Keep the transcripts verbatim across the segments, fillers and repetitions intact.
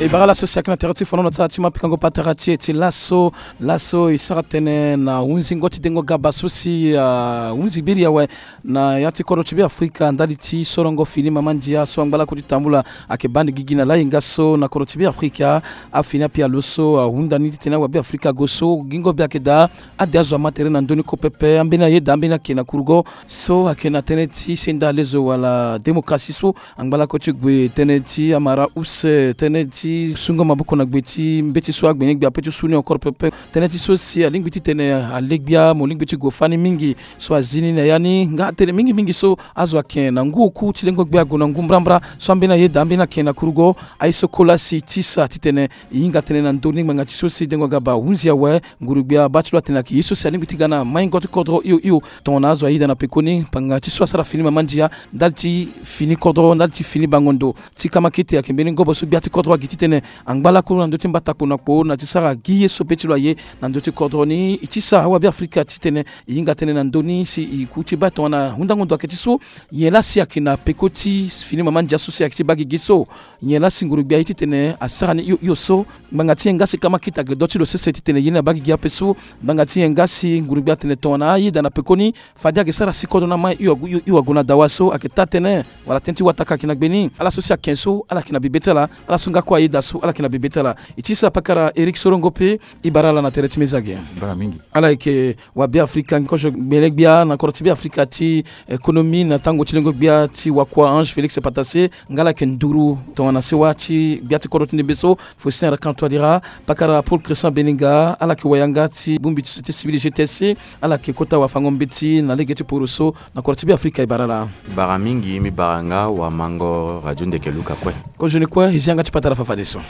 E bara laso si ayeke na tere ti fono na ti ala ti ma pikango patara ti e ti laso. Laso e sara tënë na hunzingo ti dengo gaba so si ahunzi gbiri awe na ya ti kodro ti Beafrika ndali ti sorongo fini mama ndia so angba lakue ti tambula ayeke baa ni gigi na lahinga so na kodro ti Beafrika. Afini apialo so ahunda ni titene awabeafrika ague so gingo be ayeke daa. Ade azo ama tere na ndö ni kue pepe. Ambeni ayeda ambeni ayeke na kurugo so ayeke na tënë ti senda lezo wala démocratie so angba lakue ti gue tënë ti amara use, tënë ti sungo maboko na gbe ti mbeti so agbenye-gbia ape ti su ni encore pepe. Tënë ti so si alingbi titene alegbia mo lingbi ti gue fani mingi so azi ni na ya ni nga tënë mingi mingi so azo ayeke na ngu oku ti lengo gbia ague na ngu mbrambra. So ambeni ayeda ambeni ayeke na kurugo. Aye so kola si e tisa titene e hinga tënë na ndö ni ngbanga ti so si dengo gaba ahunzi awe. Nguru-gbia baa ti lo atene ayeke ye so si alingbi ti ga na maingo ti kodro hio hio. Tongana azo ayeda na pekoni ngbanga ti so asara fini mama ndia ndali ti fini kodro ndali ti fini bango ndo ti kamakete ayeke mbeni ngobo so gbia ti kodro agi titene angba lakue na ndö ti mbatakpo na kpo na ti sara gi ye so be ti lo aye na ndö ti kodro ni. E tisa awabeafrika titene e hinga tënë na ndö ni si e ku ti baa tongana hundango ndo ayeke ti so. Nyen laa si ayeke na peko ti fini mama ndia so si ayeke ti baa gigi so? Nyen laa si nguru-gbia aye titene asara ni hio hio so? Ngbanga ti nyen nga si kamakete ayeke do ti lo sese titene ye ni abaa gigi ape so? Ngbanga ti nyen nga si nguru-gbia atene tongana ayeda na pekoni fade ayeke sara si kodro ni amai hio ague hio hio ague na dawa so ayeke taa tënë wala tënë ti wataka ayeke na gbe ni? Ala so si ayeke so ala yeke na bibe ti ala. Ala so nga kue ayeda so ala yeke na bibe ti ala. E tisa pakara Eric Sorongo pe. E bara ala na tere ti mezage. Bara mingi. Ala yeke wabeafrika kozo gbele-gbia na kodro ti Beafrika ti économie na tango ti lengo gbia ti wakua Ange Félix Patassé. Nga ala yeke nduru tongana sewa ti gbia ti kodro ti ndembe so Faustin Archange Touadéra. Pakara Paul Christian Beninga ala yeke wayanga ti bongbi ti société civile G T S. Ala yeke kota wafango mbeti na lege ti poro so na kodro ti Beafrika. E bara ala. Bara mingi. Mbi bara nga wamango radio ndeke luka kue. Kozoni kue e zi yanga ti patara fafadeso.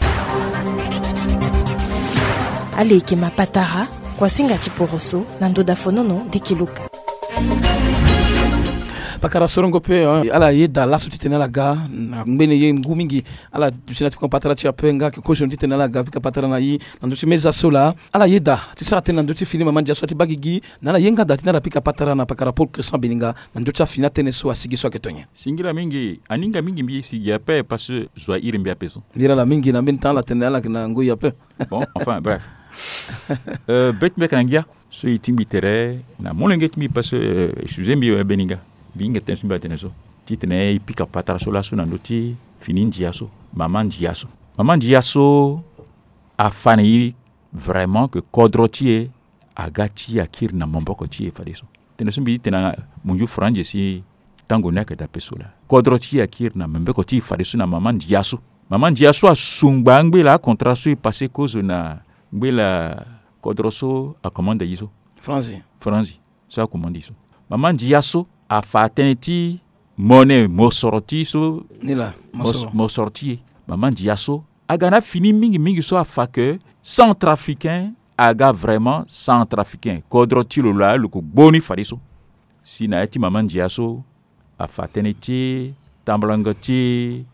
Ala yeke ma patara kuasinga ti poroso na ndoda fonono ndeke luka. Pakara Sorongo pe ala yeda laso titene ala ga na ngbene ye ngu mingi. Ala duti na ti kon patara ti ape nga ayeke kozoni titene ala ga pika patara na ye na ndö ti meza so laa. Ala yeda ti sara tënë na ndö ti fini mama ndia so ati baa gigi na ala ye nga daa titene ala pika patara na pakara Paul Christian Beninga na ndö ti afini atënë so asigi so ayeke tonye. Singila mingi. Aninga mingi mbi si gi ape parce que zo ahiri mbi ape so. Mbi ra ala mingi na mbeni temps ala tene ala yeke na ngoi ape. Bon, enfin bref. Be ti mbi ayeke na ngia so e ti mbi tere na molenge ti mbi parce que e sujet mbi aye Beninga. Mbi hinga tënë so mbi atene so titene e pika patara so laso na ndö ti fini ndia so, mama ndia so. Mama ndia so afa na e vraiment que kodro ti e aga ti e akiri na maboko ti e fadeso. Tënë so mbi ti tene na munzu franzi si tango ni ayeke daa ape so laa. Kodro ti e akiri na maboko ti e fadeso na mama ndia so. Mama ndia so asungba angbela acontra so e pase kozo na ngbela kodro so akomande e so. Franzi. Franzi so akomande e so. Mama ndia so afa tënë ti mone mosoro ti e so. Ni laa mosoro ti e. Mama ndia so aga na fini mingi mingi so afa que centrafricain aga vraiment centrafricain, kodro ti lo laa lo yeke gbo ni fadeso. Si na ya ti mama ndia so afa tënë ti tambolango ti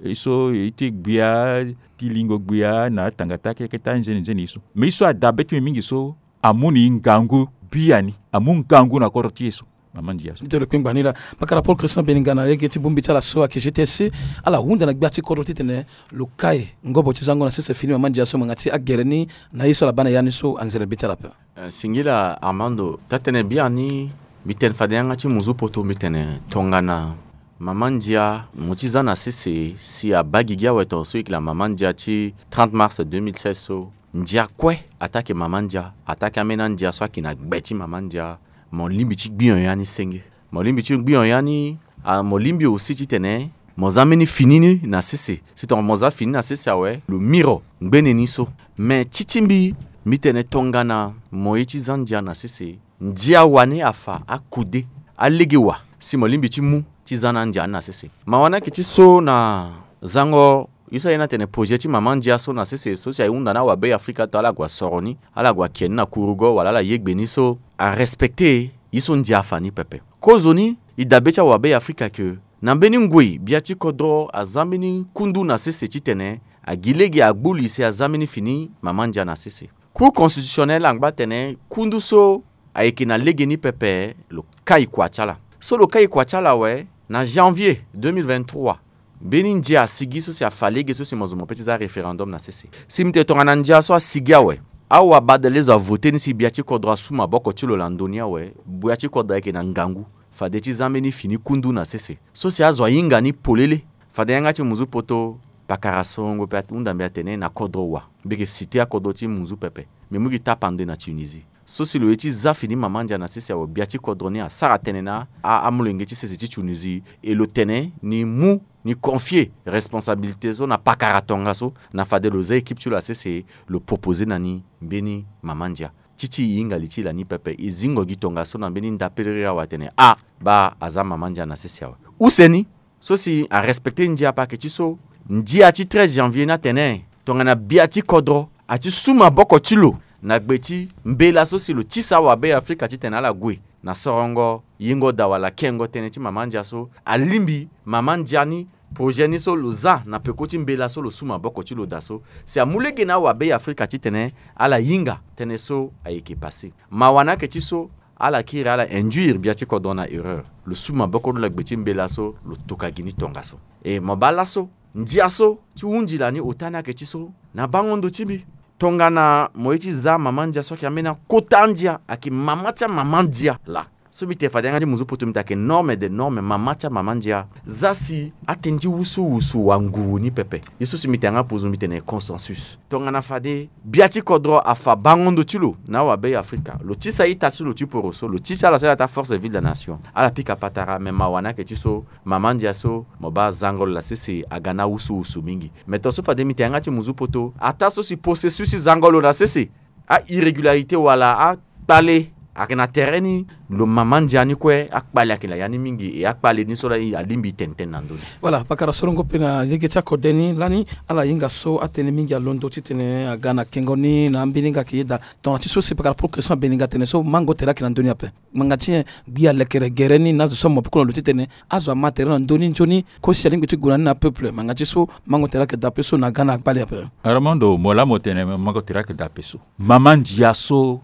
e so e ti gbia ti lingo gbia na atanga ti akeke ti anzeni nzeni e so. Mais e so adabe ti mbi mingi so amu na e ngangu biani, amu ngangu na kodro ti e so. Mama ndia so. Ti tene lo kpengba ni laa. Pakara Paul Christian Beninga na lege ti bongbi ti ala so ayeke G T S, ala hunda na gbia ti kodro titene lo kai ngobo ti zango na sese fini mama ndia so ngbanga ti agere ni na ye so ala baa na ya ni so anzere be ti ala ape. Eh, singila Armando, taa-tënë biani mbi tene fade yanga ti muzu poto mbi tene tongana mama ndia mo ti za na sese si abaa gigi awe tongaso e yeke la mama ndia ti trente mars deux mille seize so. Ndia kue ataa ayeke mama ndia, ataa ayeke ambeni andia so ayeke na gbe ti mama ndia. Mo lingbi ti gbi nyon ya ni senge. Mo lingbi ti gbi nyon ya ni. Ah, mo lingbi aussi titene mo za mbeni fini ni na sese. Si tongana mo za fini na sese awe lo miro ngbene ni so. Me ti ti mbi, mbi tene tongana mo ye ti za ndia na sese, ndia wani afa akude, alege wa si mo lingbi ti mu ti za na andia ni na sese. Mawa ni ayeke ti so na zango ye so aye ni atene projet ti mama ndia so na sese so si ahunda na awabe Afrika to ala gue asoro ni, ala gue ake ni na kurugo wala ala ye gbe ni so arespecte ye so ndia afa ni pepe. Kozoni e dabe ti awabe Afrika ke na mbeni ngoi bia ti kodro aza mbeni kundu na sese titene agi lege agbu li si aza mbeni fini mama ndia na sese. Cour constitutionnelle angba atene kundu so ayeke na legeni pepe lo kai kua ti ala. So lo kai kua ti ala awe, na janvier deux mille vingt-trois, Mbeni ndia asigi so si afa lege so si mo zo mo pe ti za référendum na sese. Si mbi tene tongana ndia so asigi awe, awabadale zo avote ni si gbia ti kodro asu maboko ti lo na ndö ni awe, gbia ti kodro ayeke na ngangu. Fade ti za mbeni fini kundu na sese so si azo ahinga ni polele. Fade yanga ti muzu poto, pakara sorongo pe ahunda mbi atene na kodro wa. Mbi yeke cite akodro ti muzu pepe. Mbi mu gi tapande na Tunisie. So si lo ye ti za fini mama ndia na sese awe, gbia ti kodro ni asara tënë na a, amolenge ti sese ti Tunisie. E lo tene ni mu ni confier responsabilité so na pakara tongaso, na fade lo za équipe ti lo na sese, lo proposer na ni mbeni mama ndia. Ti ti e hinga li ti e lani pepe, e zingo gi tongaso na mbeni ndapelere awe atene, ah, baa aza mama ndia na sese awe. Use ni, so si arespecter ndia ape ayeke ti so, ndia ti treize janvier ni atene tongana gbia ti kodro ati su maboko ti lo na gbe ti mbela so si lo tisa awabe Afrika titene ala gue na sorongo yengo daa wala kengo tënë ti mama ndia so, alingbi mama ndia ni, projet ni so lo za na peko ti mbela so lo su maboko ti lo daa so, si amu lege na awabe Afrika titene ala hinga tënë so ayeke passé. Mawa ni ayeke ti so, ala kiri ala induire gbia ti kodro na erreur. Lo su maboko ti lo na gbe ti mbela so lo toka gi ni tongaso. E mo baa laso, ndia so ti hundi lani ota ni ayeke ti so, na bango ndo ti mbi, tongana mo ye ti za mama ndia so ayeke ambeni akota ndia, ayeke mama ti amama ndia laa. So mbi tene fade yanga ti muzu poto mbi tene ayeke norme des normes, mama ti amama ndia. Za si atënë ti wusuwusu wanguru ni pepe. Ye so si mbi tene yanga puzu mbi tene consensus. Tongana fade gbia ti kodro afa bango ndo ti lo na awabe Afrika, lo tisa ita ti lo ti poroso, lo tisa ala so ala taa force vive la nation, ala pika patara. Me mawa ni ayeke ti so, mama ndia so mo baa zango lo na sese aga na wusuwusu mingi. Me tongaso fade mbi tene yanga ti muzu poto, ataa so si processus ti zango lo na sese, a irrégularité wala akpale ayeke na tere ni, lo mama ndia ni kue akpale ayeke na ya ni mingi, e akpale ni so laa alingbi e tene tënë na ndö ni. Voilà, pakara sorongo pe na lege ti akode ni lani, ala hinga so atënë mingi alondo titene aga na kengo ni na ambeni nga ayeke yeda. Tongana ti so si pakara Paul Christian Beninga atene so, mango tere ayeke na ndö ni ape. Ngbanga ti nyen? Gbi alekere gere ni na azo so amaboko na lo titene azo ama tere na ndö ni nzoni, kosi alingbi ti gue na ni na peuple. Ngbanga ti so mango tere ayeke daa pe so na ga na akpale ape. Armando, mo laa mo tene mango tere ayeke daa pe so. Mama ndia so,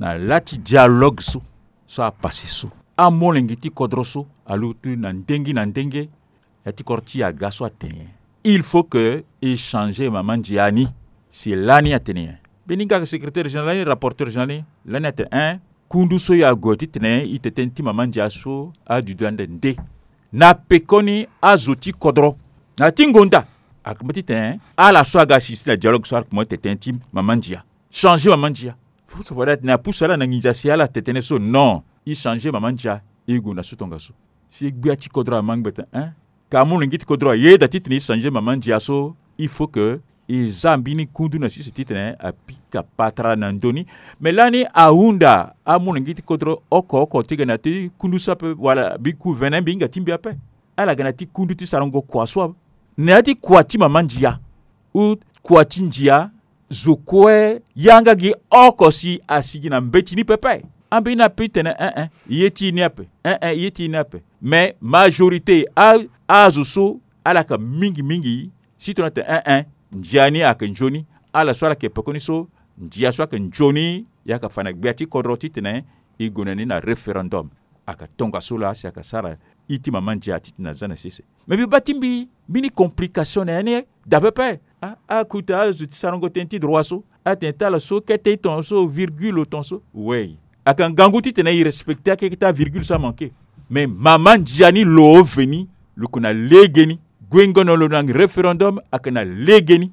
na lâ ti dialogue so, so apassé so, amolenge ti kodro so alutu na ndenge na ndenge, ya ti kodro ti e aga so atene, il faut que e changer mama ndia ni. Si lani atene nyen? Mbeni nga ayeke secrétaire général ni, rapporteur général ni, lani atene, hein, kundu so e ague titene e tene tënë ti mama ndia so adudu ande nde. Na pekoni azo ti kodro na ti ngonda, akoma titene ala so aga assisté na dialogue so ala kuma tene tënë ti mama ndia, changer mama ndia. Fo so fade atene apusu ala na nginza si ala tene tënë so, non, e changer mama ndia, e gue na so tongaso. Si gbia ti kodro ama ngbeta, hein? Ka amolenge ti kodro ayeda titene e changer mama ndia so, il faut que e za mbeni kundu na sese titene apika patara na ndö ni. Me lani ahunda amolenge ti kodro oko oko ti ga na ya ti kundu so ape, wala mbi ku vene mbi hinga ti mbi ape. Ala ga na ya ti kundu ti sarango kua so ape. Na ya ti kua ti mama ndia, ou kua ti ndia, zo kue yanga gi oko si asigi na mbeti ni pepe. Ambeni ape ti tene, eh, eh, ye ti e ni ape. Eh, eh, ye ti e ni ape. Mais majorité a, azo so ala yeke mingi mingi, si tongana atene, eh, eh, ndia ni ayeke nzoni. Ala so ala yeke pekoni so, ndia so ayeke nzoni, e yeke fa na gbia ti kodro titene e gue na ni na référendum. Ayeke tongaso laa si ayeke sara iti mama ndia titene aza na sese. Me mbi baa ti mbi mbeni complication na ya ni daa pepe. Ah, akuta azo ti sarango tënë ti droit so, atene ti ala so kete ti tongaso, virgule tongaso. Oui. Ayeke ngangu titene e respecté akeke ti avirgule so amanke. Me mama ndia ni lo veni, lo yeke na legeni. Guengo na lo na référendum ayeke na legeni.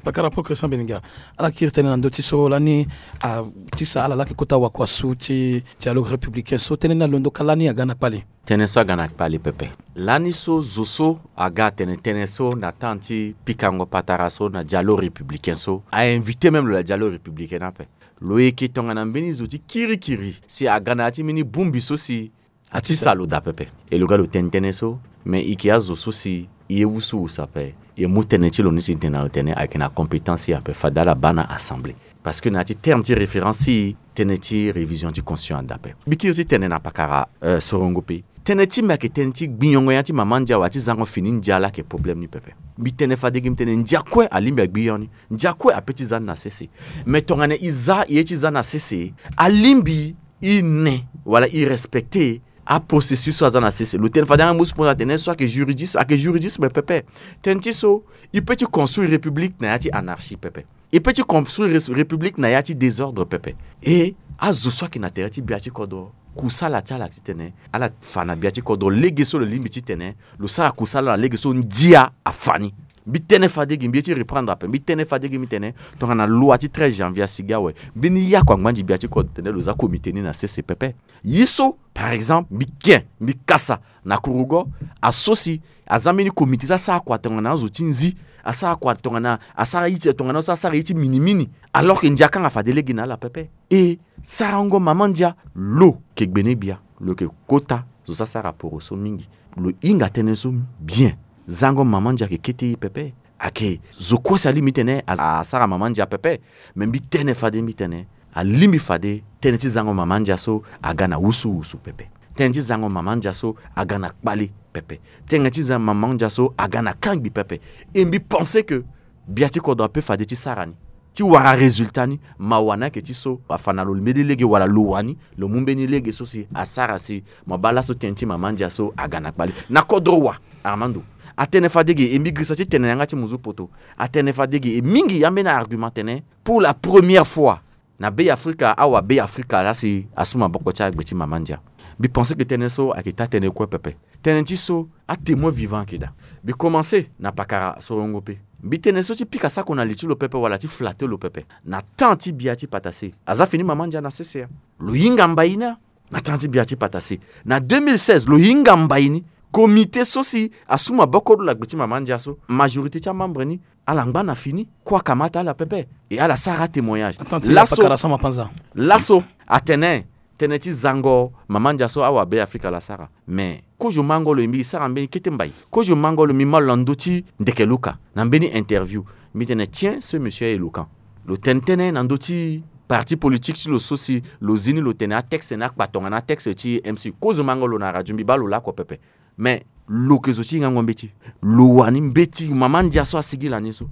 Pakara Paul Christian Beninga, ala kiri tënë na ndö ti so lani, ah, ti sa ala laa ayeke kota wakuasu ti dialogue républicain so, tënë ni alondo ka lani aga na kpale. Tënë so aga na kpale pepe. Lani so zo so aga atene tënë so na temps ti pikango patara so na dialogue républicain so, a invité même lo na dialogue républicain ni ape. Lo yeke tongana mbeni zo ti kirikiri si aga na ya ti mbeni bongbi so si atisa lo daa pepe. E lo ga lo tene tënë so, me e yeke azo so si e ye wusuwusu ape. E mu tënë ti lo ni si tene na lo tene ayeke na compétence ape, fade ala baa na assemblée. Parce que na ya ti terme ti référence ti e, tënë ti révision ti constitution adaa ape. Mbi kiri ti tene na pakara, euh, sorongo pe, tënë ti mbi ayeke tënë ti gbiniongo ya ti mama ndia wala ti zango fini ndia laa ayeke problème ni pepe. Mbi tene fade gi mbi tene ndia kue alingbi agbinio ni. Ndia kue ape ti za ni na sese. Me tongana e za e ye ti za na sese, alingbi e ne wala e respecté Aprocessus so aza na sese, lo tene fade anga musu pona tene so ayeke juridisme, ayeke juridisme pepe. Tënë ti so, il peut ti construire république na ya ti anarchie pepe. Il peut ti construire rés- république na ya ti désordre pepe. E azo so ayeke na tere ti bia ti kodro, kusala ti ala titene ala fa na bia ti kodro lege so lo lingbi titene lo sara kusala na lege so ndia afa ni. Mbi tene fade gi mbi ye ti reprendre ape, mbi tene fade gi mbi tene, tongana loi ti treize janvier asigi awe, mbeni yaku angbanzi bia ti kodro tene lo za comité ni na sese pepe. Ye so, par exemple, mbi ken, mbi kasa na kurugo, aso si aza mbeni comité so asara kua tongana azo ti nzi, asara kua tongana asara ye ti tongana so asara ye ti minimini, alors que ndia kanga fade lege na ala pepe. E sarango mama ndia, lo yeke gbene gbia, lo yeke kota zo so asara poro so mingi. Lo hinga tënë so bien. Zango mama ndia ayeke kete ye pepe. Ayeke zo kue si alingbi tene a- asara mama ndia pepe. Me mbi tene fade mbi tene, alingbi fade tënë ti zango mama ndia so aga na wusuwusu pepe. Tënë ti zango mama ndia so aga na kpale pepe. Tënë ti zango mama ndia so aga na kangbi pepe. E mbi pense que bia ti kodro ape fade ti sara ni, ti wara résultat ni. Mawa ni ayeke ti so afa na lo mbeni lege wala lo wani lo mu mbeni lege so si asara si mo baa laso tënë ti mama ndia so aga na kpale na kodro wa. Armando, atene fade ge, e mbi girisa ti tene na yanga ti muzu poto. Atene fade ge, e mingi ambeni argument atene, pour la première fois na Be Afrika, awa Be Afrika laa si asu maboko ti agbe ti mama ndia. Mbi pense que tënë so ayeke taa tënë kue pepe. Tënë ti so, atémoin vivant ayeke daa. Mbi commence na pakara sorongo pe. Mbi tene so ti pika sako na li ti lo pepe wala ti flatter lo pepe. Na temps ti bia ti patase, aza fini mama ndia na sese ya. Lo hinga mbai ni ya. Na temps ti bia ti patase, na deux mille seize, lo hinga mbai ni. Comité so si asu maboko lo na gbe ti mama ndia so, majorité ti amembre ni, ala ngba na fini. Kue akamata ala pepe. E ala sara atémoignage. Attends, ti laso, pakara sama panza. Laso atene tënë ti zango mama ndia so awa Be Afrika laa asara. Mais kozo mango lo, e mbi sara mbeni kete mbai. Kozo mango lo, mbi mä lo na ndö ti ndeke luka na mbeni interview. Mbi tene, tiens, ce monsieur est éloquent. Lo tene tënë na ndö ti parti politique ti lo so si lo zi ni, lo tene atexte ni akpa tongana atexte ti M C. Kozo mango lo na radio, mbi baa lo lakue pepe. Mais lo yeke zo ti hingango mbeti. Lo wani mbeti mama ndia so asigi lani so.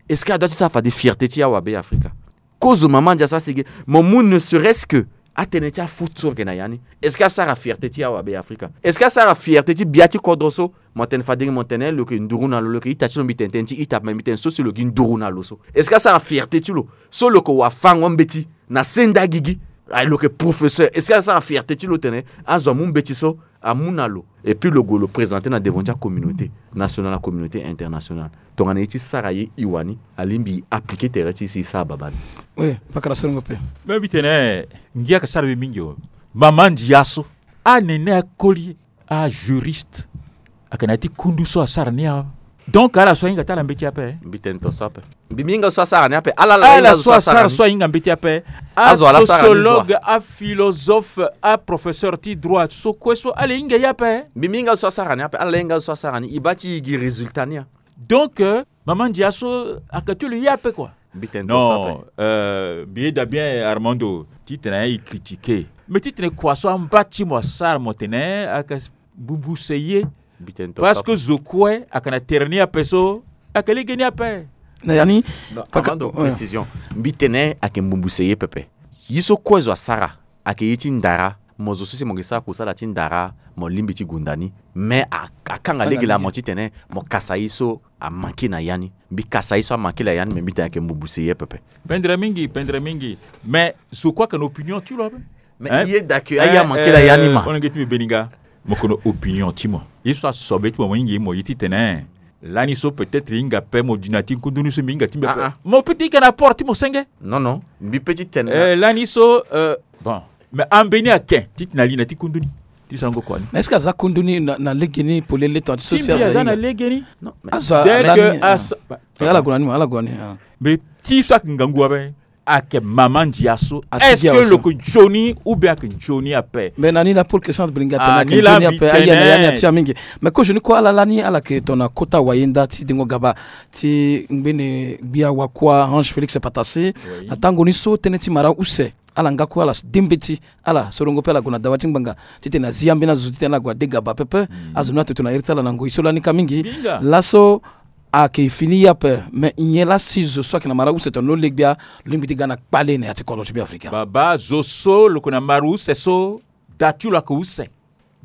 Est-ce que adoit ti sara fade fierté ti awa Be Afrika? Kozo mama ndia so asigi, mo mu ne serait-ce que atënë ti afoot so ayeke na ya ni. Est-ce que asara fierté ti awa Be Afrika? Est-ce que asara fierté ti bia ti kodro so? Mo tene fade gi mo tene lo yeke nduru na lo, lo yeke ita ti lo, mbi tene tënë ti ita, me mbi tene so si lo gi nduru na lo so. Est-ce que asara fierté ti lo so lo yeke wafango mbeti na senda gigi? Aye, lo yeke professeur. Est-ce que asara fierté ti lo tene azo amu mbeti so amu na lo? Et puis lo gue lo présenter na devant ti acommunauté nationale, acommunauté internationale. Tongana ye ti sara ye e wani, alingbi e appliquer tere ti e si e sara babâ ni. Oui, pakara sorongo pe. Me mbi tene ngia ayeke sara mbi mingi o. Mama ndia so, anene akoli, ajuriste, ayeke na ya ti kundu so asara ni awe. Donc ala so ahinga ti ala mbeti ape. Mbi tene tongaso ape. Mbi mi hinga so asara ni ape. Ala la hinga so asara ni. Ala so asara so ahinga mbeti ape. Azo ala sara ni zo wa? Asociologue, aphilosophe, aprofesseur ti droit so kue so ala hinga ye ape. Mbi mi hinga so asara ni ape. Ala la hinga so asara ni. E baa ti e gi résultat ni ya. Donc euh, mama ndia so ayeke ti lo ye ape kua. Mbi tene tongaso ape. Non, euh, mbi yeda bien Armando titene aye e critiquer. Mais titene kua so amba ti mo asara mo tene ayeke mbumbuse ye. Mbi tene tongaso ape. Parce que zo kue ayeke na tere ni ape so ayeke lege ni ape. Na ya ni. Non, avant de précision, mbi tene ayeke mbumbuse ye pepe. Ye so kue zo asara ayeke ye ti ndara. Mo zo so si mo yeke sara kusala ti ndara, mo lingbi ti gunda ni. Mais a- akanga lege laa mo titene mo kasa ye so amanke na ya ni. Mbi kasa ye so amanke na ya ni, me mbi tene ayeke mbumbuse ye pepe. Pendere mingi, pendere mingi. Mais zo kue ayeke na opinion ti lo ape. Mais hein? Ye daa ke aye amanke na ya ni ma. Hon nge ti mbi beninga, mo yeke na opinion ti mo. Ye so asobe ti mo, mo hinga ye mo ye titene lani so peut-être e hinga ape, mo di na ya ti kundu ni so mbi hinga ti mbi ape. Ah, ah. Mo peut ti hinga na apport ti mo senge. Non, non. Mbi peut ti tene. Eh, lani so, euh, bon. Mais ambeni ayeke titene ali na ya ti kundu ni ti sarango kua ni. Mais est-ce que aza kundu ni na, na lege ni polele tongana ti so si aza na lege ni? Non, mais azo ala ni, ah. Ala gue na ni mo, ala gue na ni, ah. Mais ti so ayeke ngangu ape, ayeke mama ndia so. Est-ce que lo yeke nzoni ou bien ayeke nzoni ape? Mais na ni la pole question beninga atene ayeke nzoni ape, aye na ya ni atia mingi. Mais kozo ni kue ala lani ala yeke tongana kota wayenda ti dengo gaba ti ngbene gbia wakua Ange Félix Patase. Oui. Na tango ni so tënë ti mara use. Ala nga kue ala de mbeti, ala sorongo pe ala gue na dawa ti ngbanga titene azi ambeni azo titene ala gue ade gaba pepe. Azo ni atene tongana iri ti ala na ngoi so lani ka mingi. Laso ayeke fini ye ape, me nyen laa si zo so ayeke na mara use tongana lo le gbia, lo lingbi ti ga na kpale na ya ti kodro ti Beafrika? Baba, zo so lo yeke na mara use so, da ti lo ayeke use.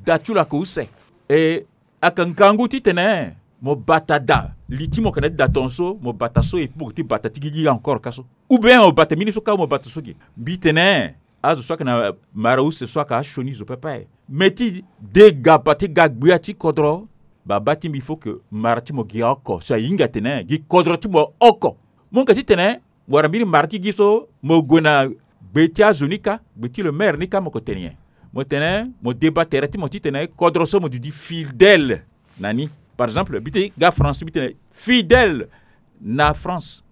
da ti lo ayeke use. E ayeke ngangu titene mo bata da li ti mo yeke na ya ti da tongaso, mo bata so, et puis mo yeke ti bata ti gigi encore ka so. Ou bien mo bata mbeni so ka, mo bata so ge. Mbi tene azo so ayeke na mara use so ayeke asioni zo pepe. Me ti degaba ti ga gbia ti kodro, babâ ti mbi, il faut que mara ti mo gi oko so ahinga atene gi kodro ti mo oko. Mo hinga titene wara mbeni mara ti gi so, mo gue na gbe ti azo ni ka, gbe ti le maire ni ka, mo ko tene nyen? Mo tene mo deba tere ti mo titene kodro so mo duti fidèle na ni. Par exemple, mbi ti ga France, mbi tene fidèle na France.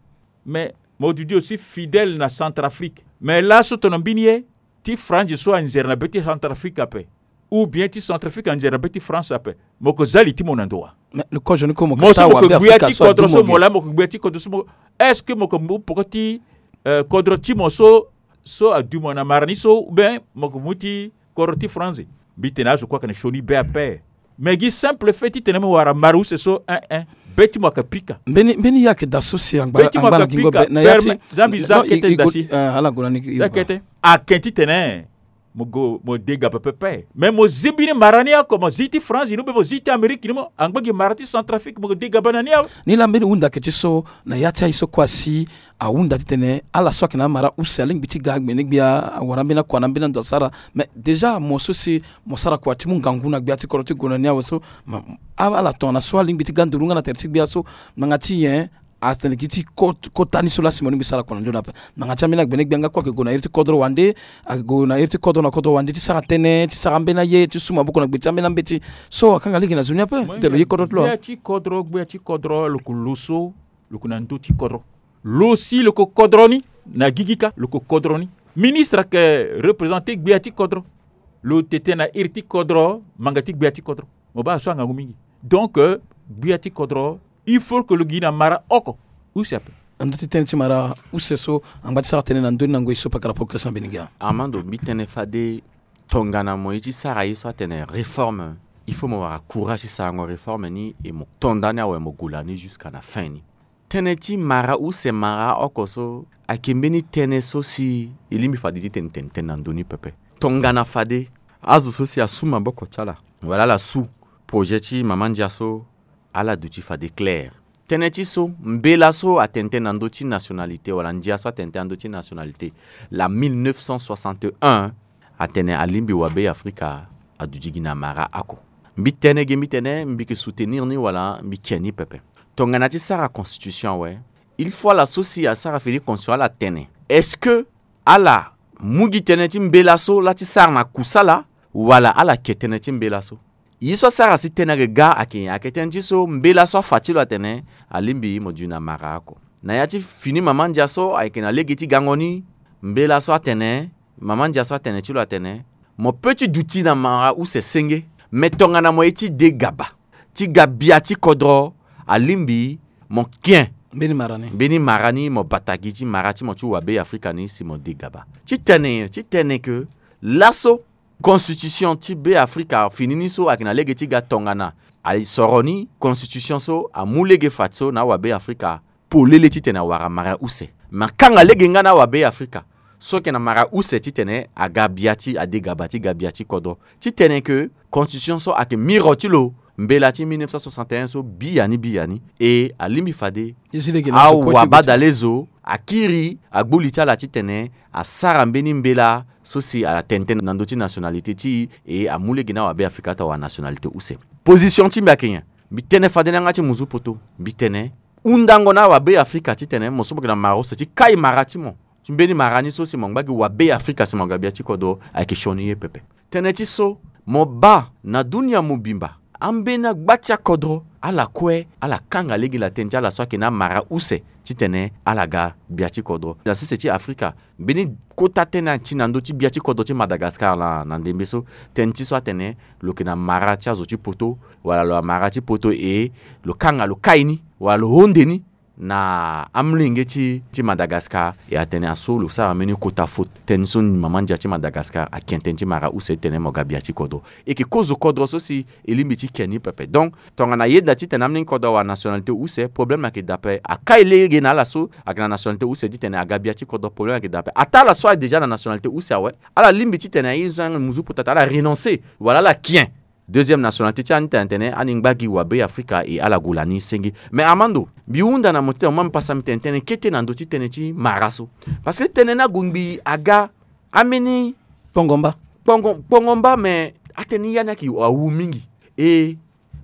Mais mo duti aussi fidèle na Centrafrique. Mais laso tono mbeni ye, ti France so anzere na be ti Centrafrique ape, ou bien ti Centrafrique anzere na be ti France ape, mo ko za li ti mo na ndo wa? Mais le kozo ni ko mo ko ta wa be Afrika so adu mo ge. Mo si mo ko gbia ti kodro so mo la, mo ko gbia ti kodro so mo, est-ce que mo ko mu poko ti, euh, kodro ti mo so, so adu mo na mara ni so, ou bien mo ko mu ti kodro ti France? Mbi tene azo kue ayeke na sioni be ape. Mais gi simple fait titene mo wara mara use so, eh, eh, be ti mo ayeke pika. Mbeni, mbeni ye ayeke da so si angba, be ti mo angba na ayeke gingo pika, be na ya ti, permet, za mbi za non, i, kete i da go, si. Eh, ala go na ni, i za kete. Ayeke titene mo go, mo degaba pepe. Mais mo zi mbeni mara ni oko, mo zi ti France ni, ou bien mo zi ti Amérique ni mo, angba gi mara ti Centrafrique, mo degaba na ni awe. Ni laa mbeni hunda ayeke ti so, na ya ti aye so kue asi ahunda titene ala so ayeke na amara use alingbi ti ga gbenegbia, awara ambeni akua na ambeni ando asara. Mais déjà mo so si mo sara kua ti mu ngangu na gbia ti kodro ti gue na ni awe so, ma, a, ala tongana so alingbi ti ga nduru nga na tere ti gbia so, ngbanga ti nyen? Atene gi ti ko, kota ni so laa si mo lingbi sara kua na nzoni ape. Ngbanga ti ambeni agbenegbia nga kue ayeke gue na iri ti kodro wande, ayeke gue na iri ti kodro na kodro wande ti sara tënë, ti sara ambeni aye, ti su maboko na gbe ti ambeni ambeti. So akanga lege na zo ni ape titene lo ye kodro ti lo. Gbia ti kodro, gbia ti kodro lo ko lo so, lo ko na ndö ti kodro. Lo si lo ko kodro ni, na gigi kâ lo ko kodro ni. Ministre ayeke représenter gbia ti kodro. Lo tene tënë na iri ti kodro, ngbanga ti gbia ti kodro. Mo baa so angangu mingi. Donc, euh, gbia ti kodro, il faut que lo gi na mara oko use ape. Na ndö ti tënë ti mara use so, angba ti sara tënë na ndö ni na ngoi so pakara progrès ambeni ga. Armando, mbi tene fade tongana mo ye ti sara ye so atene réforme, il faut mo wara courage ti sarango réforme ni, e mo to nda ni awe, mo gue na ni jusqu'à na fin ni. Tënë ti mara use mara oko so ayeke mbeni tënë so si e lingbi fade ti tene tene tënë na ndö ni pepe. Tongana fade azo so si asu maboko ti ala, wala ala su projet ti mama ndia so, ala duti fade clair. Tënë ti so, mbela so atene tënë na ndö ti nationalité, wala ndia so atene tënë na ndö ti nationalité, la mille neuf cent soixante et un, atene alingbi wabe Afrika aduti gi na mara oko. Mbi tene ge, mbi tene mbi yeke soutenir ni wala mbi ke ni pepe. Tongana ti sara constitution awe, il faut ala so si asara fini constitution ala tene, est-ce que ala mu gi tënë ti mbela so laa ti sara na kusala, wala ala ke tënë ti mbela so? Ye so asara si tënë ayeke ga ayeke nyen? Ayeke tënë ti so mbela so afa ti lo atene alingbi mo duti na mara oko. Na ya ti fini mama ndia so ayeke na lege ti gango ni, mbela so atene, mama ndia so atene ti lo atene, mo peut ti duti na mara use senge, me tongana mo ye ti de gaba ti ga bia ti kodro, alingbi mo ke mbeni mara ni, mbeni mara ni, mo bata gi ti mara ti mo ti wabe Afrika ni si mo de gaba. Ti tene, ti tene ke laso constitution ti be Afrika fini ni so ayeke na lege ti ga tongana asoro ni, constitution so amu lege fadeso na awabe Afrika polele titene awara mara use. Me akanga lege nga na awabe Afrika so ayeke na mara use titene aga bia ti, ade gaba ti ga bia ti kodro. Ti tene ke constitution so ayeke miro ti lo mbela ti mille neuf cent soixante et un so biani biani. E alingbi fade awabadale zo akiri agbu li ti ala titene asara mbeni mbela so si atene tënë na ndö ti nationalité ti e, e amu lege na awabe Afrika ti awara nationalité use. Position ti mbi ayeke nyen? Mbi tene fade na yanga ti muzu poto, mbi tene hundango na awabe Afrika titene mo so mo yeke na mara use ti kai mara ti mo, ti mbeni mara ni so si mo ngba gi wabe Afrika si mo ga bia ti kodro ayeke sioni ye pepe. Tënë ti so, mo baa na dunia mobimba, ambeni agba ti akodro ala kue ala kanga lege na tënë ti ala so ayeke na amara use titene ala ga bia ti kodro. Na sese ti Afrika, mbeni kota tënë ati na ndö ti bia ti kodro ti Madagascar laa na ndembe so. Tënë ti so atene lo yeke na mara ti azo ti poto, wala lo amara ti poto e lo kanga lo kai ni, wala lo honde ni na amolenge ti, ti Madagascar. E atene aso lo sara mbeni kota faute. Tënë so mama ndia ti Madagascar ake tënë ti mara use titene mo ga bia ti kodro. E yeke kozo kodro so si e lingbi ti ke ni pepe. Donc tongana ayeda titene amolenge kodro awara nationalité use, problème ayeke daa ape. Akai lege na ala so ayeke na nationalité use titene aga bia ti kodro, problème ayeke daa ape. Ataa ala so ayeke déjà na nationalité use awe, ala lingbi titene aye zo na muzu poto atene ala renoncer wala ala ke Deuxième nationalité ti ani tene tene ani ngba gi wa Be Afrika e ala gue lani senge. Mais Armando, mbi hunda na mo titene mo ma mbi pasa mbi tene tënë kete na ndö ti tënë ti mara so. Parce que tënë ni ague ngbii aga ambeni kpongomba. Kpongo, kpongomba, mais atënë ni ya ni ayeke awu mingi. E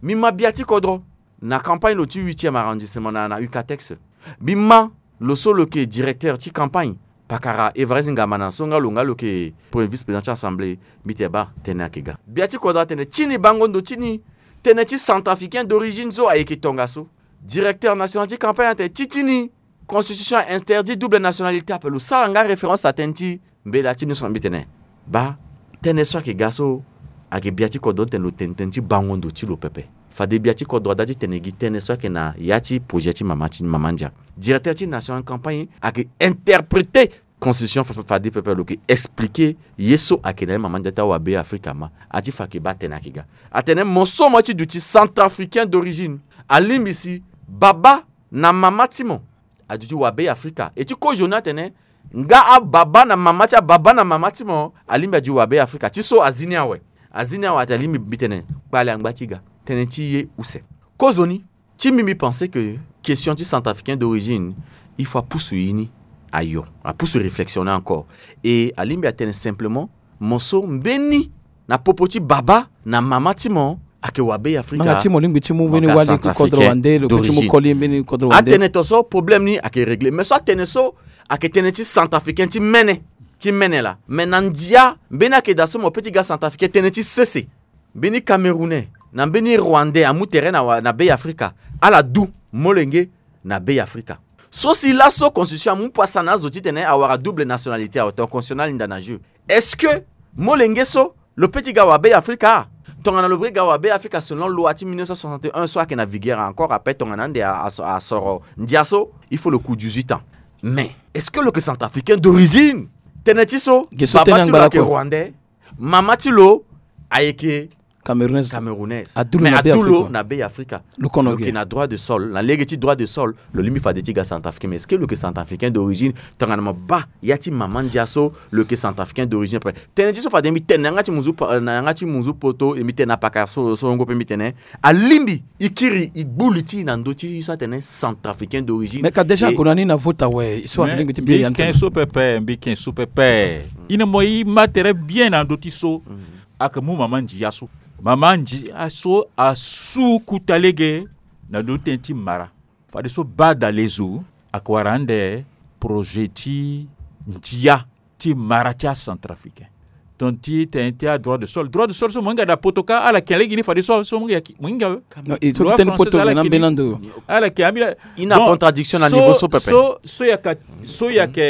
mbi ma bia ti kodro na campagne lo ti huitième arrondissement na, na Ucatex. Mbi ma lo so lo yeke directeur ti campagne, pakara Évariste Ngamana so nga lo nga lo yeke premier vice-président ti assemblée. Mbi tene baa, tënë ayeke ga. Bia ti kodro atene ti ni bango ndo ti ni, tënë ti centrafricain d'origine so ayeke tongaso. Directeur national ti campagne atene ti ti ni constitution a interdit double nationalité ape. Lo sara nga référence na tënë ti mbela ti mbi so na mbi tene baa, tënë so ayeke ga so ayeke bia ti kodro tene lo tene tënë ti bango ndo ti lo pepe. Fade bia ti kodro ada ti tene gi tënë so ayeke na ya ti projet ti mama ti mama ndia. Directeur ti national campagne ayeke interpréter constitution fa- fa- fade pepe lo yeke expliquer ye so ayeke na ya ti mama ndia ti awa Be Afrika ma. Ati fa ayeke baa, tënë ayeke ga. Atene mo so mo ye ti duti centrafricain d'origine, alingbi si baba na mama ti mo aduti wa Be Afrika. E ti kozoni atene nga ababa na mama ti ababa na mama ti mo alingbi adu wa Be Afrika. Ti so azi ni awe. Azi ni awe atene alingbi mbi tene kpale angba ti ga. Tënë ti ye use. Kozoni ti mbi, mbi pense que question ti centrafricain d'origine, il faut apusu ye ni ayo, apusu réflexion ni encore. E alingbi atene simplement mo so mbeni na popo ti baba na mama ti mo ayeke wa Be Afrika. Manga ti mo lingbi ti mu mbeni wali ti kodro wande, lo yeke ti mu koli mbeni kodro wande. Atene to so problème ni ayeke réglé. Mais so atene so ayeke tënë ti centrafricain ti mene, ti mene laa. Mais na ndia mbeni ayeke daa so mo pe ti ga centrafricain, tënë ti sese. Mbeni camerounais na mbeni rwandais amu tere na, na Be Afrika, ala du molenge na Be Afrika. So si laso constitution amu pasa na azo titene awara double nationalité, awe, tongana constitution ni alinda na jeu. Est-ce que molenge so lo pe ti ga wa Be Afrika? Tongana lo pe ti ga wa Be Afrika selon loi ti mille neuf cent soixante et un so ayeke na vigueur encore ape, tongana ande a- a- asoro ndia so, il faut lo ku dix-huit ans. Mais est-ce que lo yeke centrafricain d'origine? Tënë ti so, baba ti lo ayeke rwandais, mama ti lo ayeke camerounaise. Camerounaise. Adu lo na Be Afrika. Lo kono lo yeke na droit de sol, na lege ti droit de sol, lo lingbi fade ti ga centrafricain. Mais est-ce que lo yeke centrafricain d'origine? Tongana mo baa ya ti mama ndia so, lo yeke centrafricain d'origine. Après, tënë ti so fade mbi tene na yanga ti munzu pa- na yanga ti munzu poto, e mbi tene na pakara so, so ngo pe mbi tene alingbi e kiri e gbu li ti e na ndö ti so atene centrafricain d'origine. Mais ka déjà ague na ni na vote awe, so alingbi ti bia ya ni tene. Mbi ken so pepe, mbi ken so pepe. E na mo e ma tere bien na ndö ti so. Ayeke mu mama ndia so. Mama ndia so asu kuta lege na ndö ti tënë ti mara. Fadeso Badalezo ayeke wara ande projet ti ndia ti mara ti acentrafricain. Tongana ti tënë ti adroit de sol, droit de sol so mo hinga na poto kâ, ala yeke lege ni fadeso, so mo hinga, mo hinga we. Non, e so loi ti tënë française poto ala yeke ambeni ando. Ala yeke ambeni. I na contradiction na niveau so pepe. So, so yaka, so yaka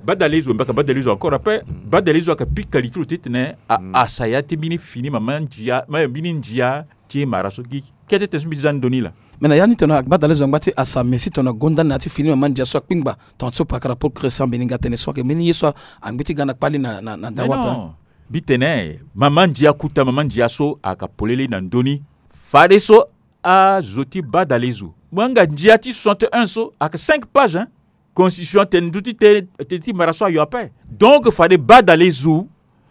Badalezo, mbaka Badalezo encore après, Badalezo ayeke pika li ti lo titene a- asa ya ti mbeni fini mama ndia, ma mbeni ndia ti mara so gi kete tene so mbi ti za ndoni laa. Mais na ya ni tongana Badalezo angba ti asa, mais si tongana gonda na ya ti fini mama ndia so akpingba, tongana so pakara Paul Christian Beninga atene so ayeke mbeni ye so angbi ti ga na kpali na, na, na dawa ape. Mbi tene mama ndia kuta, mama ndia so ayeke polele na ndoni. Fadeso azo ti Badalezo, mo hinga ndia ti soixante et un so ayeke cinq pages, hein. Constitution atene ndö ti tënë ti mara so ayo ape. Donc fade Badalezo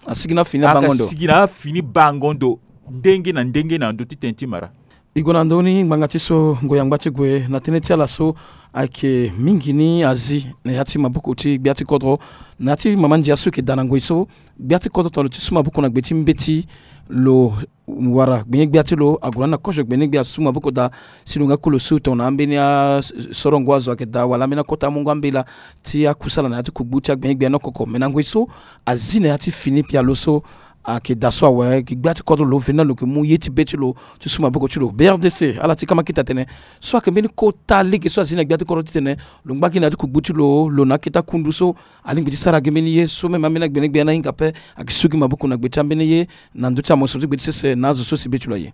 asigi na afini abango ndo. Asigi na afini bango ndo ndenge na ndenge na ndö ti tënë ti mara. E gue na ndö ni ngbanga ti so ngoi angba ti gue na tënë ti ala so ayeke mingi ni azi na ya ti maboko ti gbia ti kodro, na ya ti mama ndia so e yeke daa na ngoi so. Gbia ti kodro tongana lo ti su maboko na gbe ti mbeti, lo wara gbenye-gbia ti lo ague na ni na kozo gbenye-gbia asu maboko daa. Si lo nga ku lo su tongana ambeni asorongo azo ayeke daa wala ambeni akota amungo ambela ti akusala na ya ti kugbu ti agbenye-gbia ni okoko. Me na ngoi so azi na ya ti fini pialo so ayeke daa so awe, gi gbia ti kodro lo veni na lo yeke mu ye ti be ti lo ti su maboko ti lo. B R D C ala ti kama kita tene so ayeke mbeni kota lege so azi na gbia ti kodro titene lo ngba gi na ya ti kugbu ti lo, lo na akete akundu so alingbi ti sara gi mbeni ye so même ambeni agbenye-gbia ni ahinga ape. Ayeke su gi maboko na gbe ti ambeni ye na ndö ti amosoro ti gbe ti sese na azo so si be ti lo aye.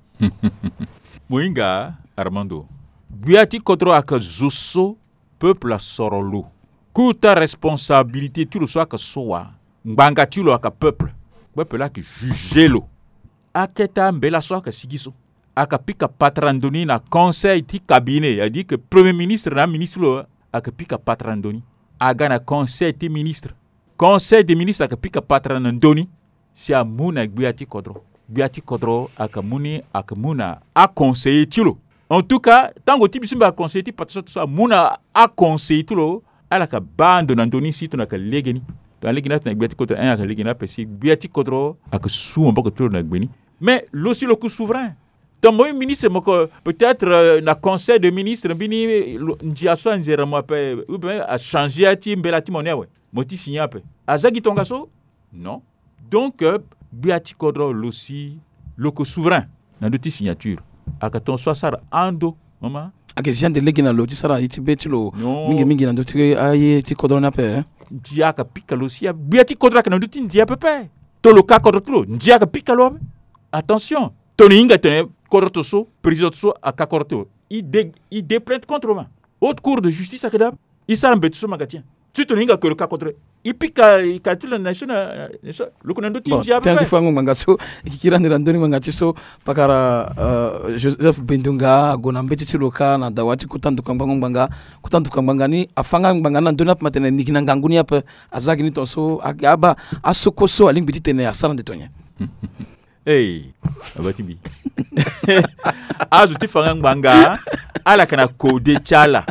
Mo hinga Armando, gbia ti kodro ayeke zo so peuple asoro lo. Kota responsabilité ti lo so ayeke so wa, ngbanga ti lo ayeke peuple. Peuple laa ayeke juger lo. Akete ambela so ayeke sigi so ayeke pika patara ndoni na conseil ti cabinet, c'est-à-dire que premier ministre na aministre lo ayeke pika patara ndoni. Aga na conseil ti ministre, conseil des ministres ayeke pika patara na ndoni. Si amu na gbia ti kodro, Gbia ti kodro ayeke mu ni, ayeke mu na aconseiller ti lo. En tout cas, tango ti mbi so mbi aconseiller ti pata so ato so amu na aconseiller ti lo, ala yeke baa ndo na ndö ni si tongana ayeke lege ni. Tongana lege ni atene gbia ti kodro, un, ayeke lege ni ape si gbia ti kodro ayeke su maboko ti lo na gbe ni. Mais lo si lo ku souverain. Tongana mo ye ministre mo yeke peut-être, euh, na conseil de ministre mbeni lo, ndia so anzere mo ape, ou bien achangé ya ti mbela ti mo ni awe, mo ti signé ape. Aza gi tongaso? Non. Donc, euh, gbia ti kodro lo si lo yeke souverain na ndö ti signature. Ayeke tongaso asara ando, mama. Ayeke zi ande lege na lo ti sara ye ti be ti lo. Non. Mingi mingi na ndö ti aye ti kodro ni ape, eh? Ndia ayeke pika lo si ape. Gbia ti kodro ayeke na ndö ti ndia pepe. To lo ka kodro ti lo, ndia ayeke pika lo ape. Attention. Tongana e hinga tene kodro to so, président to so aka kodro ti lo, e de, e de plainte contre lo ma. Haute cour de justice ayeke daa. E sara mbeti so ma ga ti nyen? Ti tongana e hinga ke lo ka kodro, e pika, e ka ti lo na nation, na nation. Lo yeke na ndö ti ndia ape. Tënë ti fango ngbanga so e kiri ande na ndö ni ngbanga ti so. Pakara, euh, Joseph Bendunga ague na mbeti ti lo kâ na dawa ti kota nduka ngbanga ngbanga. Kota nduka ngbanga ni afa nga ngbanga ni na ndö ni ape ma tene ni gi na ngangu ni ape. Aza gi ni tongaso, a, abaa asoko so alingbi ti tene asara ande to nyen? Hey, aba ti mbi. Azo ti fa nga ngbanga, ala yeke na kode ti ala.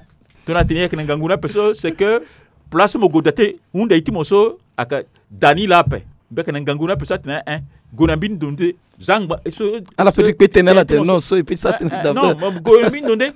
Tongana atene e yeke na ngangu ni ape so, c'est que place mo gue da te, hunda e ti mo so ayeke da ni laa ape. Mbi yeke na ngangu ni ape so atene, eh, gue na mbeni ndo nde. Za ngba so ala pe ti kpe tënë, ala tene non, so e pe ti sara tënë. Eh, eh, non, mo gue na mbeni ndo nde.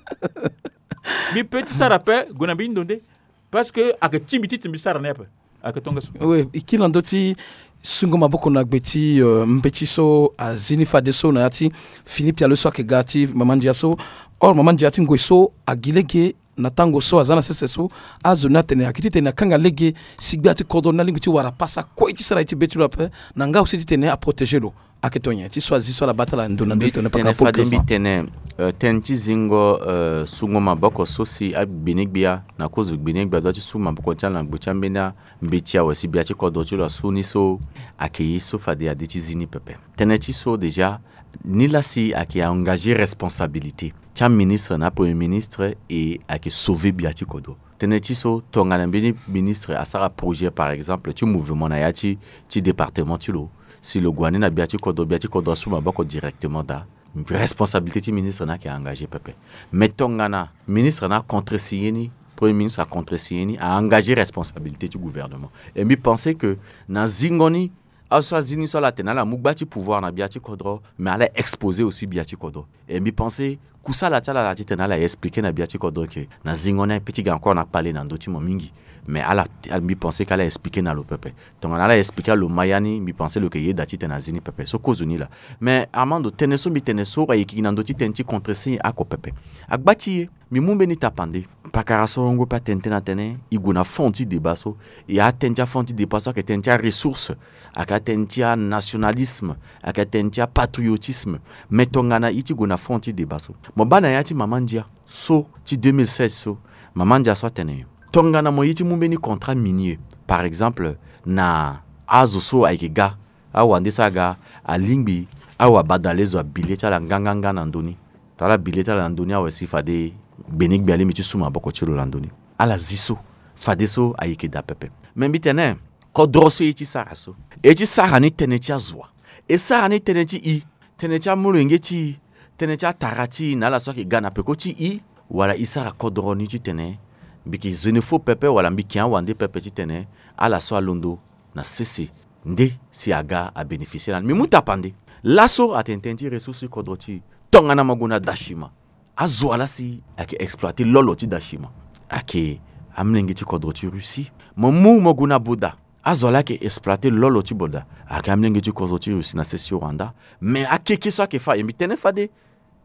Mbi pe ti sara ape, gue na mbeni ndo nde. Parce que ayeke ti mbi ti tene mbi sara ni ape. Ayeke tongaso. Oui, e kiri na ndö ti sungo maboko na gbe ti, euh, mbeti so azi ni fadeso na ya ti fini pialo so ayeke ga ti mama ndia so. Or mama ndia ti ngoi so agi lege na tango so aza na sese so. Azo ni atene ayeke ti tene akanga lege si gbia ti kodro ni alingbi ti wara pasa kue ti sara ye ti be ti lo ape, na nga aussi ti tene aprotéger lo. Ayeke to nyen ti so azi so ala baa ti ala ndo na ndö ti tene pakara pôle tene, euh, tënë ti zingo, euh, sungo maboko so si agbeni gbia na kozo gbeni gbia dua ti su maboko ti ala na gbe ti ambeni ambeti awe si gbia ti kodro ti lo asu ni so, ayeke ye so fade ade ti zi ni pepe. Tënë ti so déjà, nilaa si ayeke engagé responsabilité ti aministre na apremier ministre, e ayeke sauver gbia ti kodro. Tënë ti so tongana mbeni ministre asara projet par exemple ti mouvement na ya ti, ti département ti lo, si lo gue wani na gbia ti kodro, gbia ti kodro asu maboko directement daa, responsabilité ti ministre ni ayeke engagé pepe. Mais tongana ministre ni acontresigné ni, premier ministre acontresigné ni, a engagé responsabilité ti gouvernement. Et mbi pensé que na zingo ni, azo so azi ni so ala tene ala mu gba ti pouvoir na gbia ti kodro, mais ala exposé aussi gbia ti kodro. Et mbi pensé kusala ti ala ala ti tene ala expliqué na gbia ti kodro ke na zingo ni aye pe ti ga encore na kpale na ndö ti mo mingi. Mais ala, mbi pensé ke ala expliqué na lo pepe. Tongana ala expliqué na lo maya ni, mbi pensé lo yeke yeda ti tene azi ni pepe. So kozo ni laa. Mais Armando, tënë so mbi tene so ayeke gi na ndö ti tënë ti contresigné oko pepe. Agba ti e, mbi mu mbeni tapande. Pakara so ahungo pe atene tënë atene e gue na fond ti débat so. E atene ti afond ti débat so ayeke tënë ti aressource, ayeke atënë ti anationalisme, ayeke atënë ti apatriotisme. Mais tongana e ti gue na fond ti débat so, mo baa na ya ti mama ndia so ti deux mille seize so, mama ndia so atene nyen? Tongana mo ye ti mu mbeni contrat minier, par exemple, na azo so ayeke ga, awande so aga, alingbi awabadalezo abi le ti ala nganganga na ndö ni. Tongana ala bi le ti ala na ndö ni awe si fade gbeni gbia alingbi ti su maboko ti lo na ndö ni. Ala zi so fadeso ayeke daa pepe. Me mbi tene, kodro so e ti sara so, e ti sara ni tënë ti azo wa? E sara ni tënë ti i, tënë ti amolenge ti i, tënë ti atara ti i na ala so ayeke ga na peko ti i, wala e sara kodro ni ti tene mbi yeke xénophobe pepe wala mbi yeke awande pepe ti tene ala so alondo na sese nde si aga abénéficier lani? Mbi mu tapande. Laso atene tënë ti ressource ti kodro ti i. Tongana mo gue na Dachima, azo wa laa si ayeke exploiter lolo ti Dachima? Ayeke amolenge ti kodro ti Russie. Mo mu mo gue na Boda, azo wa laa ayeke exploiter lolo ti Boda ayeke amolenge ti kodro ti Russie na sese ti Rwanda. Mais akeke so ayeke fâ, e mbi tene fade,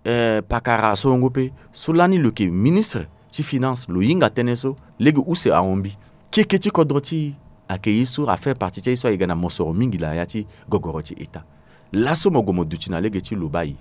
eh, pakara so ahungo pe so lani lo yeke ministre ti finance, lo hinga tënë so lege use ahon mbi. Keke ti kodro ti i ayeke ye so a fait partie ti aye so ayeke ga na mosoro mingi na ya ti gogoro ti État. Laso mo gue mo duti na lege ti lo baa e,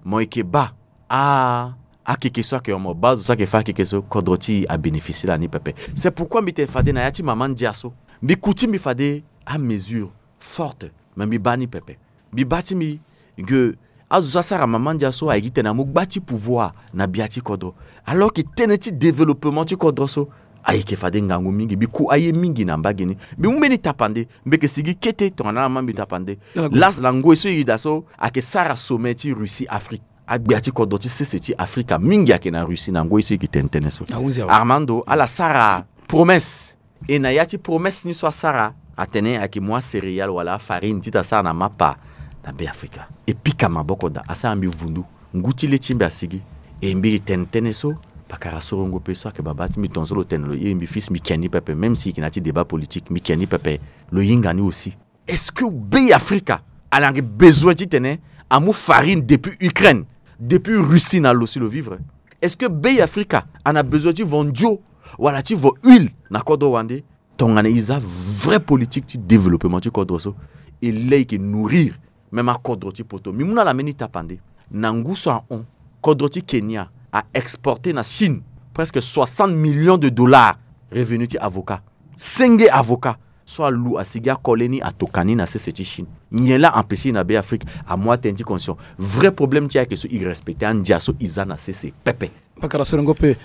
mo yeke baa a, akeke so ayeke, mo baa zo so ayeke fâ akeke so, kodro ti e abénéficier lani pepe. C'est pourquoi mbi tene fade na ya ti mama ndia so, mbi ku ti mbi fade amesure forte, me mbi baa ni pepe. Mbi baa ti mbi ke azo so asara mama ndia so ayeke titene amu gba ti pouvoir na gbia ti kodro, alors que tënë ti développement ti kodro so Ayeke fade ngangu mingi, mbi ku aye mingi na mbage ni. Mbi mu mbeni tapande, mbi yeke sigi kete tongana ala ma mbi tapande. Last na ngoi so e yeke daa so, ayeke sara sommet ti Russie Afrique. Agbia ti kodro ti sese ti Afrika mingi ayeke na Russie na ngoi so e yeke tene tënë so. Armando, ala sara promesse. E na ya ti promesse ni so asara, atene ayeke mu acéréale wala afarine titene asara na mapa na Be Afrika. E pika maboko daa, asara mbi vundu. Ngu ti le ti mbi asigi. E mbi yeke tene tënë so, pakara sorongo pe so ayeke babâ ti mbi, tongaso lo tene lo iri mbi fils, mbi ke ni pepe, même si e yeke na ya ti débat politique, mbi ke ni pepe. Lo hinga ni aussi. Est-ce que Be Afrika ala yeke besoin titene amu farine depuis Ukraine, depuis Russie na lo si lo vivre? Est-ce que Be Afrika ana besoin ti vo ndio wala ti vo huile na kodro wande? Tongana e za vrai politique ti développement ti kodro so, e lei e yeke nourrir même akodro ti poto. Mbi mu na ala mbeni tapande. Na ngu so ahon, kodro ti Kenya a exporté na Chine presque soixante millions de dollars revenu ti avocat. Senge avocat so alu asigi akole ni, atoka ni na sese ti Chine. Nyen laa empêché na Be Afrique amu atënë ti condition? Vrai problème ti ayeke so, e respecté andia so e za na sese pepe. Pakara sorongo pe.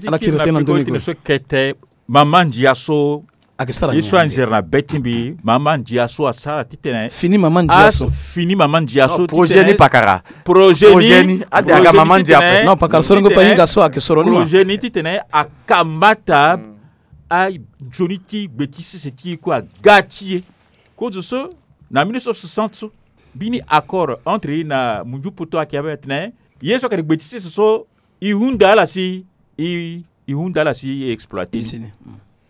Ala kiri tënë na ndoni. So kete mama ndia so ayeke sara ye so anzere na be ti mbi, mama ndia so asara titene fini mama ndia so. Fini mama ndia so. Projet ni pakara. Projet ni ade aga mama ndia pe. Non, pakara sorongo pe ahinga so ayeke soro ni ma. Projet ni titene akamata anzoni ti gbe ti sese ti e kue aga ti e. Kozo so na mille neuf cent soixante so, mbeni accord entre e na munzu poto ayeke ya be tene ye so ayeke na gbe ti sese so, e hunda ala si e, e hunda ala si e exploité.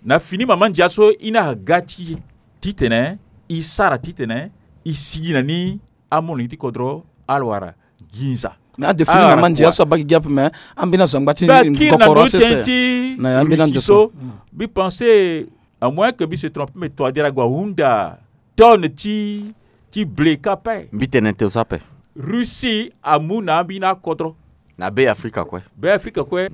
Na fini mama ndia so, e na aga ti e titene e sara titene e sigi na ni amolenge ti kodro ala wara nginza. Mais ade fini mama ndia so abaa gi gi ape, mais ambeni azo angba ti kokoro asese na ya ambeni ando so. Mbi pensé, à moins que mbi se trompe, mais toadera ague ahunda tonne ti, ti blé kâ ape. Mbi tene tënë so ape. Russie amu na ambeni akodro na Be Afrika kue. Be Afrika kue.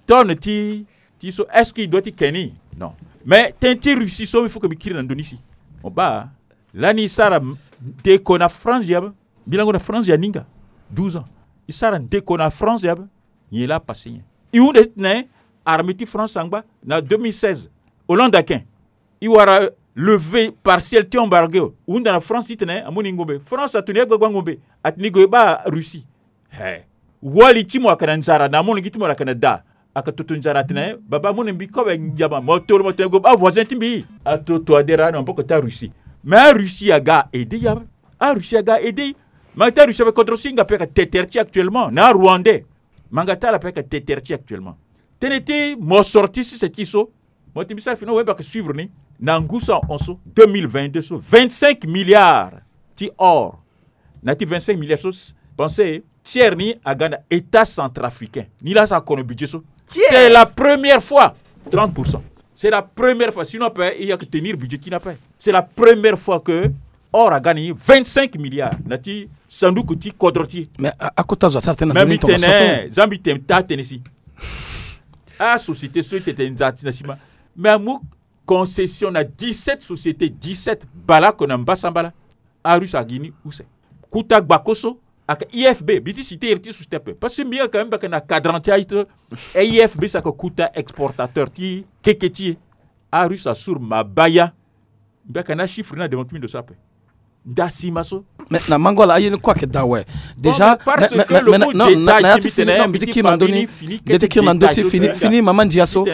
Tonne ti, ti so, est-ce que e doit ti ke ni? Non. Mais tënë ti Russie so, il faut que mbi kiri na ndö ni si. Mo baa, lani e sara ndeko na France ya be. Mbi lango na France ya ninga douze ans. E sara ndeko na France ya be. Nyen laa apassé nyen? E hunda titene armée ti France angba na deux mille seize. Hollande ake, e wara levée partielle ti embargo. E hunda na France titene amoni ngombe. France atoni agbagba ngombe, atene e gue e baa Russie. He. Wali ti mo ayeke na nzara, na amolenge ti mo ayeke na da. Ayeke toto nzara atene, baba, amolenge mbi kobe ngiama, mo toro mo tene gue baa voisin ti mbi. Atoto adera na maboko ti Arussie. Mais Arussie aga aidé e ape. Arussie aga aidé e. Manga ti Arussie ape, kodro so e hinga ape ayeke te tere ti e actuellement na Arwandais. Manga ti ala ape ayeke te tere ti e actuellement. Tënë ti mosoro ti sese ti e so, mo ti mbi sara fini, wembe ayeke suivre ni. Na ngu so ahon so, deux mille vingt-deux so, vingt-cinq milliards ti or. Na ya ti vingt-cinq milliards so, pensé tiers ni aga na État centrafricain. Ni laa asara kono budget so. C'est la première fois. Trente pour cent. C'est la première fois. Sinon ape, e yeke tenir budget ti ni ape. C'est la première fois que or aga ni vingt-cinq milliards na ya ti sanduku ti kodro ti e. Mais a, akota zo asara tënë na ndö ni tongaso ape. Za mbi tene taa tënë si. Asociété so e tene tene nzara ti na sima. Mais amu concession na dix-sept sociétés, dix-sept, bale oko na mbasambala. Arussie agi ni use. Kota gbako so ayeke I F B, mbi ti cité iri ti société ape. Parce que mbi yeke, mbi yeke na cadran ti aye ti I F B, so ayeke kota exportateur ti keke ti e. Arussie asuru mabaya. Mbi yeke na chiffre ni na devant ti mbi ndo so ape. Nda sima so. Mais na mango ala aye ni kue ayeke daa awe. Déjà, mais, mais, mais, mais, non, na, na ya ti fini, non, mbi ti kiri na ndö ni. Mbi ti kiri na ndö ti fini, fini mama ndia so.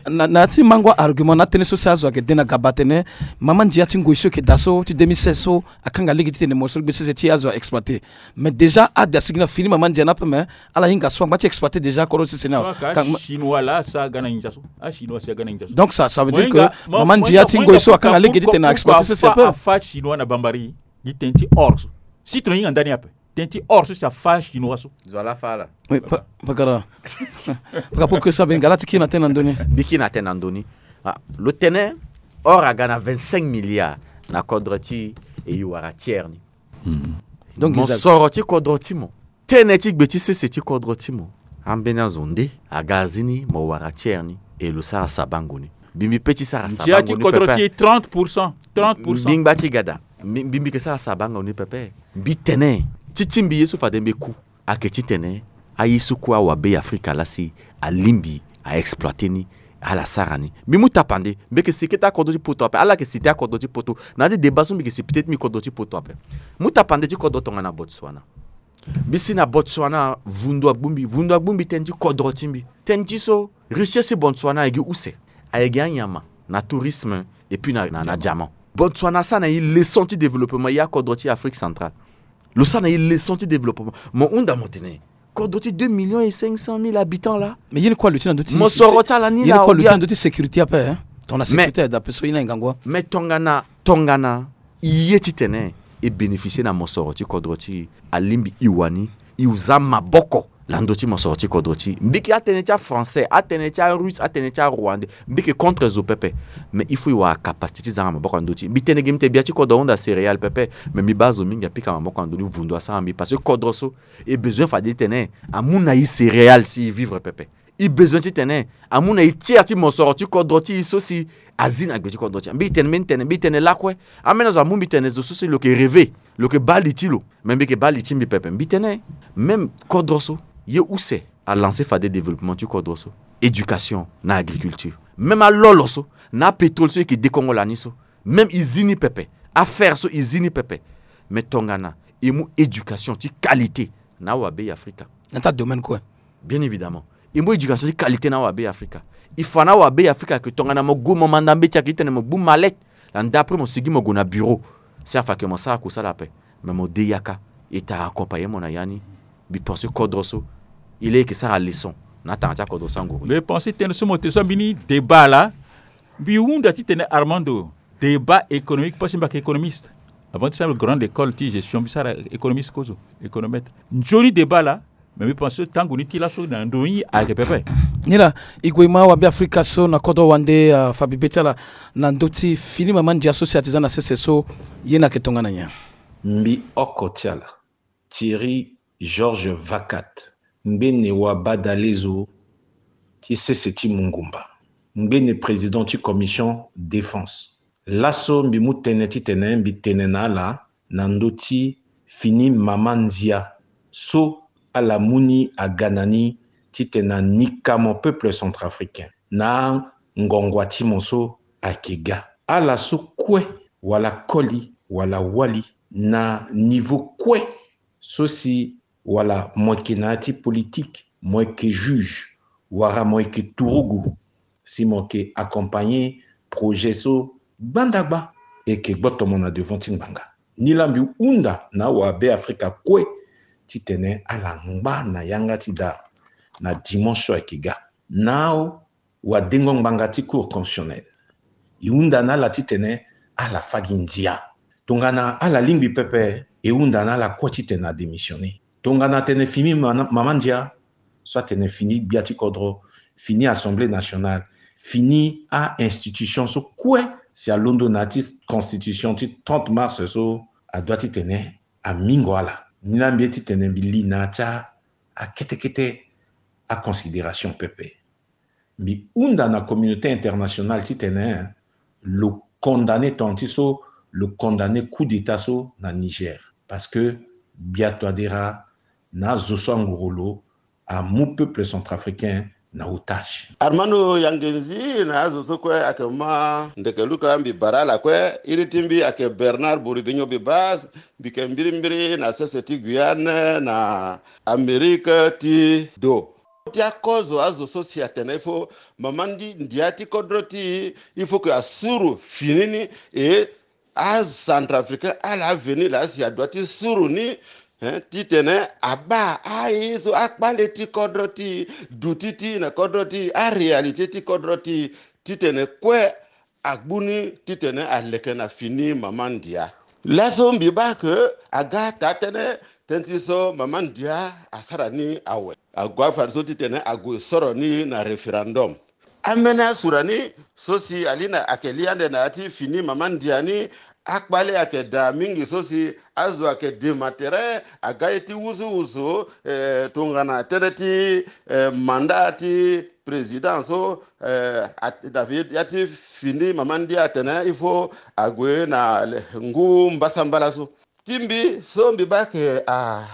Na, na ya ti mango argument na atënë so si azo ayeke de na gaba atene mama ndia ti ngoi so ayeke daa so ti deux mille seize so, akanga lege titene mo so gbe sese ti azo a exploité. Mais déjà ade asigi na fini mama ndia ni ape, mais ala hinga so angba ti exploité déjà kodro ti sese ni awe. Chinois laa asara ga na nginza so. Achinois si aga na nginza so. Donc ça, ça veut dire que mama ndia ti ngoi so akanga lege titene a exploité sese ape. Afa chinois na bambari gi tënë ti or so. Si tongana e hinga ndani ape, tënë ti or so si afa chinois so. Zo ala fa ala. Oui, pa, pakara. Pakara, pour que ça, mbi nga laa ti kiri na tënë na ndö ni. Mbi kiri na tënë na ndö ni. Ah, lo tene or aga na vingt-cinq milliards na kodro ti e, e wara tiers ni. Donc mosoro ti kodro ti mo, tënë ti gbe ti sese ti kodro ti mo, ambeni azo nde aga azi ni mo wara tiers ni, e lo sara sabango ni. Mbi, mbi pe ti sara sabango ni pepe. Ndia ti kodro ti e trente pour cent, trente pour cent. Mbi ngba ti gada, mbi, mbi, mbi yeke sara sabango ni pepe. Mbi tene ti ti mbi ye so fade mbi ku ayeke titene aye so kue awa Be Afrika laa si alingbi a exploité ni, Ala sara ni. Mbi mu tapande, mbi yeke si kete akodro ti poto ape. Ala yeke si te akodro ti poto. Na ya ti débat so mbi yeke si peut-être mbi kodro ti poto ape. Mu tapande ti kodro tongana Botswana. Mbi si na Botswana, vundu agbu mbi. Vundu agbu mbi tënë ti kodro ti mbi. Tënë ti so, richesse ti Botswana ayeke use. Ayeke anyama, na tourisme, et puis na, na, na diamant. Botswana asara na e leçon ti développement, e akodro ti Afrique centrale. Lo sara na e leçon ti développement. Mo hunda mo tene, kodro ti deux millions et cinq cent mille habitants laa. Mais ye ni kue aluti na ndö ti mosoro ti ala ni laa. Ye ni kue aluti na ndö ti sécurité ape, hein. Tongana sécurité ayeke daa ape so ye ni ayeke ngangu wa. Mais tongana, tongana e ye titene e bénéficier na mosoro ti kodro ti e, alingbi e wani e za maboko na ndö ti mosoro ti kodro ti e. Mbi yeke atënë ti a-français, atënë ti a-russe, atënë ti a-rwandais. Mbi yeke contre zo pepe. Mais il faut e wara capacité ti zanga maboko na ndö ti e. Mbi tene gi mbi tene bia ti kodro ahunda céréales pepe. Mais mbi baa zo mingi apika maboko na ndö ni, vundu asara mbi. Parce que kodro so, e besoin fade titene amu na e céréales si e vivre pepe. E besoin titene amu na e tiers ti mosoro ti kodro ti e so si azi na gbe ti kodro ti e. Mbi tene, mbi tene, mbi tene lakue. Ambeni azo amu mbi tene zo so si lo yeke rêver, lo yeke baa li ti lo. Mais mbi yeke baa li ti mbi pepe. Mbi tene, même kodro so, ye use alancer fade développement ti kodro so. Éducation na agriculture. Même alolo so, na apétrole so e yeke dekongo lani so. Même e zi ni pepe. Afer so e zi ni pepe. Mais tongana e mu éducation ti qualité na awabe Afrika. Na ta domaine kue. Bien évidemment. E mu éducation ti qualité na awabe Afrika. E fa na awabe Afrika ke tongana mo gue mo manda mbeti ayeke titene mo gbu mallette. Landa après mo sigi mo gue na bureau. Si afa ke mo sara kusala ape. Mais mo de yaka. E ta accompagner mo na ya ni. Mbi pense kodro so, e laa e yeke sara leçon na atanga ti akodro so anguru. Mbi pense tënë so mo tene so mbi ni débat laa. Mbi hunda titene Armando, débat économique parce que mbi ayeke économiste. Avant ti sara grande école ti gestion mbi sara économiste kozo, économètre. Nzoni débat laa. Mais mbi pense so tango ni ti laso na ndo ni ayeke pepe. Ni laa, e gue e ma awabe Afrika so na kodro wande, ah, fa bibe ti ala na ndö ti fini mama ndia so si a ti za na sese so, ye ni ayeke tongana nyen? Mbi oko ti ala, Thierry Georges Vacat, ngbene wa badalezo ti sese ti Mungumba, ngbene président ti commission défense. Laso mbi mu tënë titene mbi tene na ala na ndö ti fini mama ndia so ala mu ni aga na ni titene anika mo peuple centrafricain na angongua ti mo so ayeke ga. Ala so kue wala koli wala wali na niveau kue so si wala mo yeke na ya ti politique, mo yeke juge, wala mo yeke turugu, si mo yeke accompagner projet so gbandagba e yeke gboto mo na devant ti ngbanga. Ni laa mbi hunda na awabe Afrika kue titene ala ngba na yanga ti daa na dimanche so ayeke ga. Na awadengo ngbanga ti Cour constitutionnelle, e hunda na ala titene ala fâ gi ndia. Tongana ala lingbi pepe, e hunda na ala kue titene adémissionner. Tongana atene fini mama, mama ndia, so atene fini gbia ti kodro, fini Assemblée nationale, fini a-institution so kue si alondo na ya ti constitution ti trente mars so, adoit titene amingo ala. Ni laa mbi ye titene mbi li na ya ti akete kete aconsidération pepe. Mbi hunda na communauté internationale titene lo condamner tongana ti so lo condamner coup d'état so na Niger. Parce que gbia Touadéra na azo so angoro lo amu peuple centrafricain na otage. Armando Yangenzi, na azo so kue ayeke ma ndeke luka mbi bara ala kue, iri ti mbi ayeke Bernard Boridinho Bibas, mbi yeke mbirimbiri na sese ti Guyane na Amérique ti do. Ti akozo azo so si atene il faut mama ndi ndia ti kodro ti e, il faut que asuru fini ni, e aCentrafricain ala aveni laa si adoit ti suru ni, hein, titene abaa aye so akpale ti kodro ti e, duti ti e na kodro ti e, aréalité ti kodro ti e, titene kue agbu ni titene aleke na fini mama ndia. Laso mbi baa ke aga taa tënë, tënë ti so mama ndia asara ni awe. Ague afadeso titene ague soro ni na référendum. Ambeni asura ni so si ali na ayeke li ande na ya ti fini mama ndia ni, akpale ayeke daa mingi so si azo ayeke dema tere, aga ye ti wusuwusu, eh, tongana tënë ti, eh, mandat ti président so, eh, a, na fi, ya ti fini mama ndia atene il faut ague na le, ngu mbasambala so. Ti mbi so mbi baa ke a,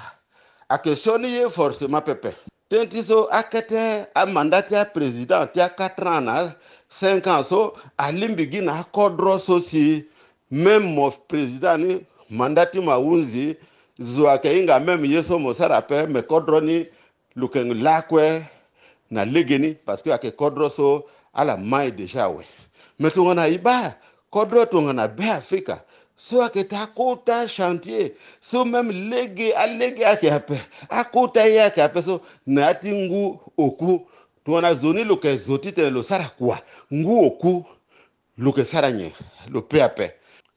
ayeke sioni ye forcément pepe. Tënë ti so akete amanda ti aprésident ti a quatre ans na cinq ans so, alingbi gi na akodro so si même mo président ni, manda ti mo ahunzi, zo ayeke hinga même ye so mo sara ape, me kodro ni lo yeke lakue na legeni, parce que ayeke kodro so ala mai déjà awe. Me tongana e baa kodro tongana Be Afrika so ayeke taa kota chantier so même lege alege ayeke ape, akota ye ayeke ape so, na ya ti ngu oku, tongana zo ni lo yeke zo titene lo sara kua, ngu oku lo yeke sara nyen? Lo pe ape.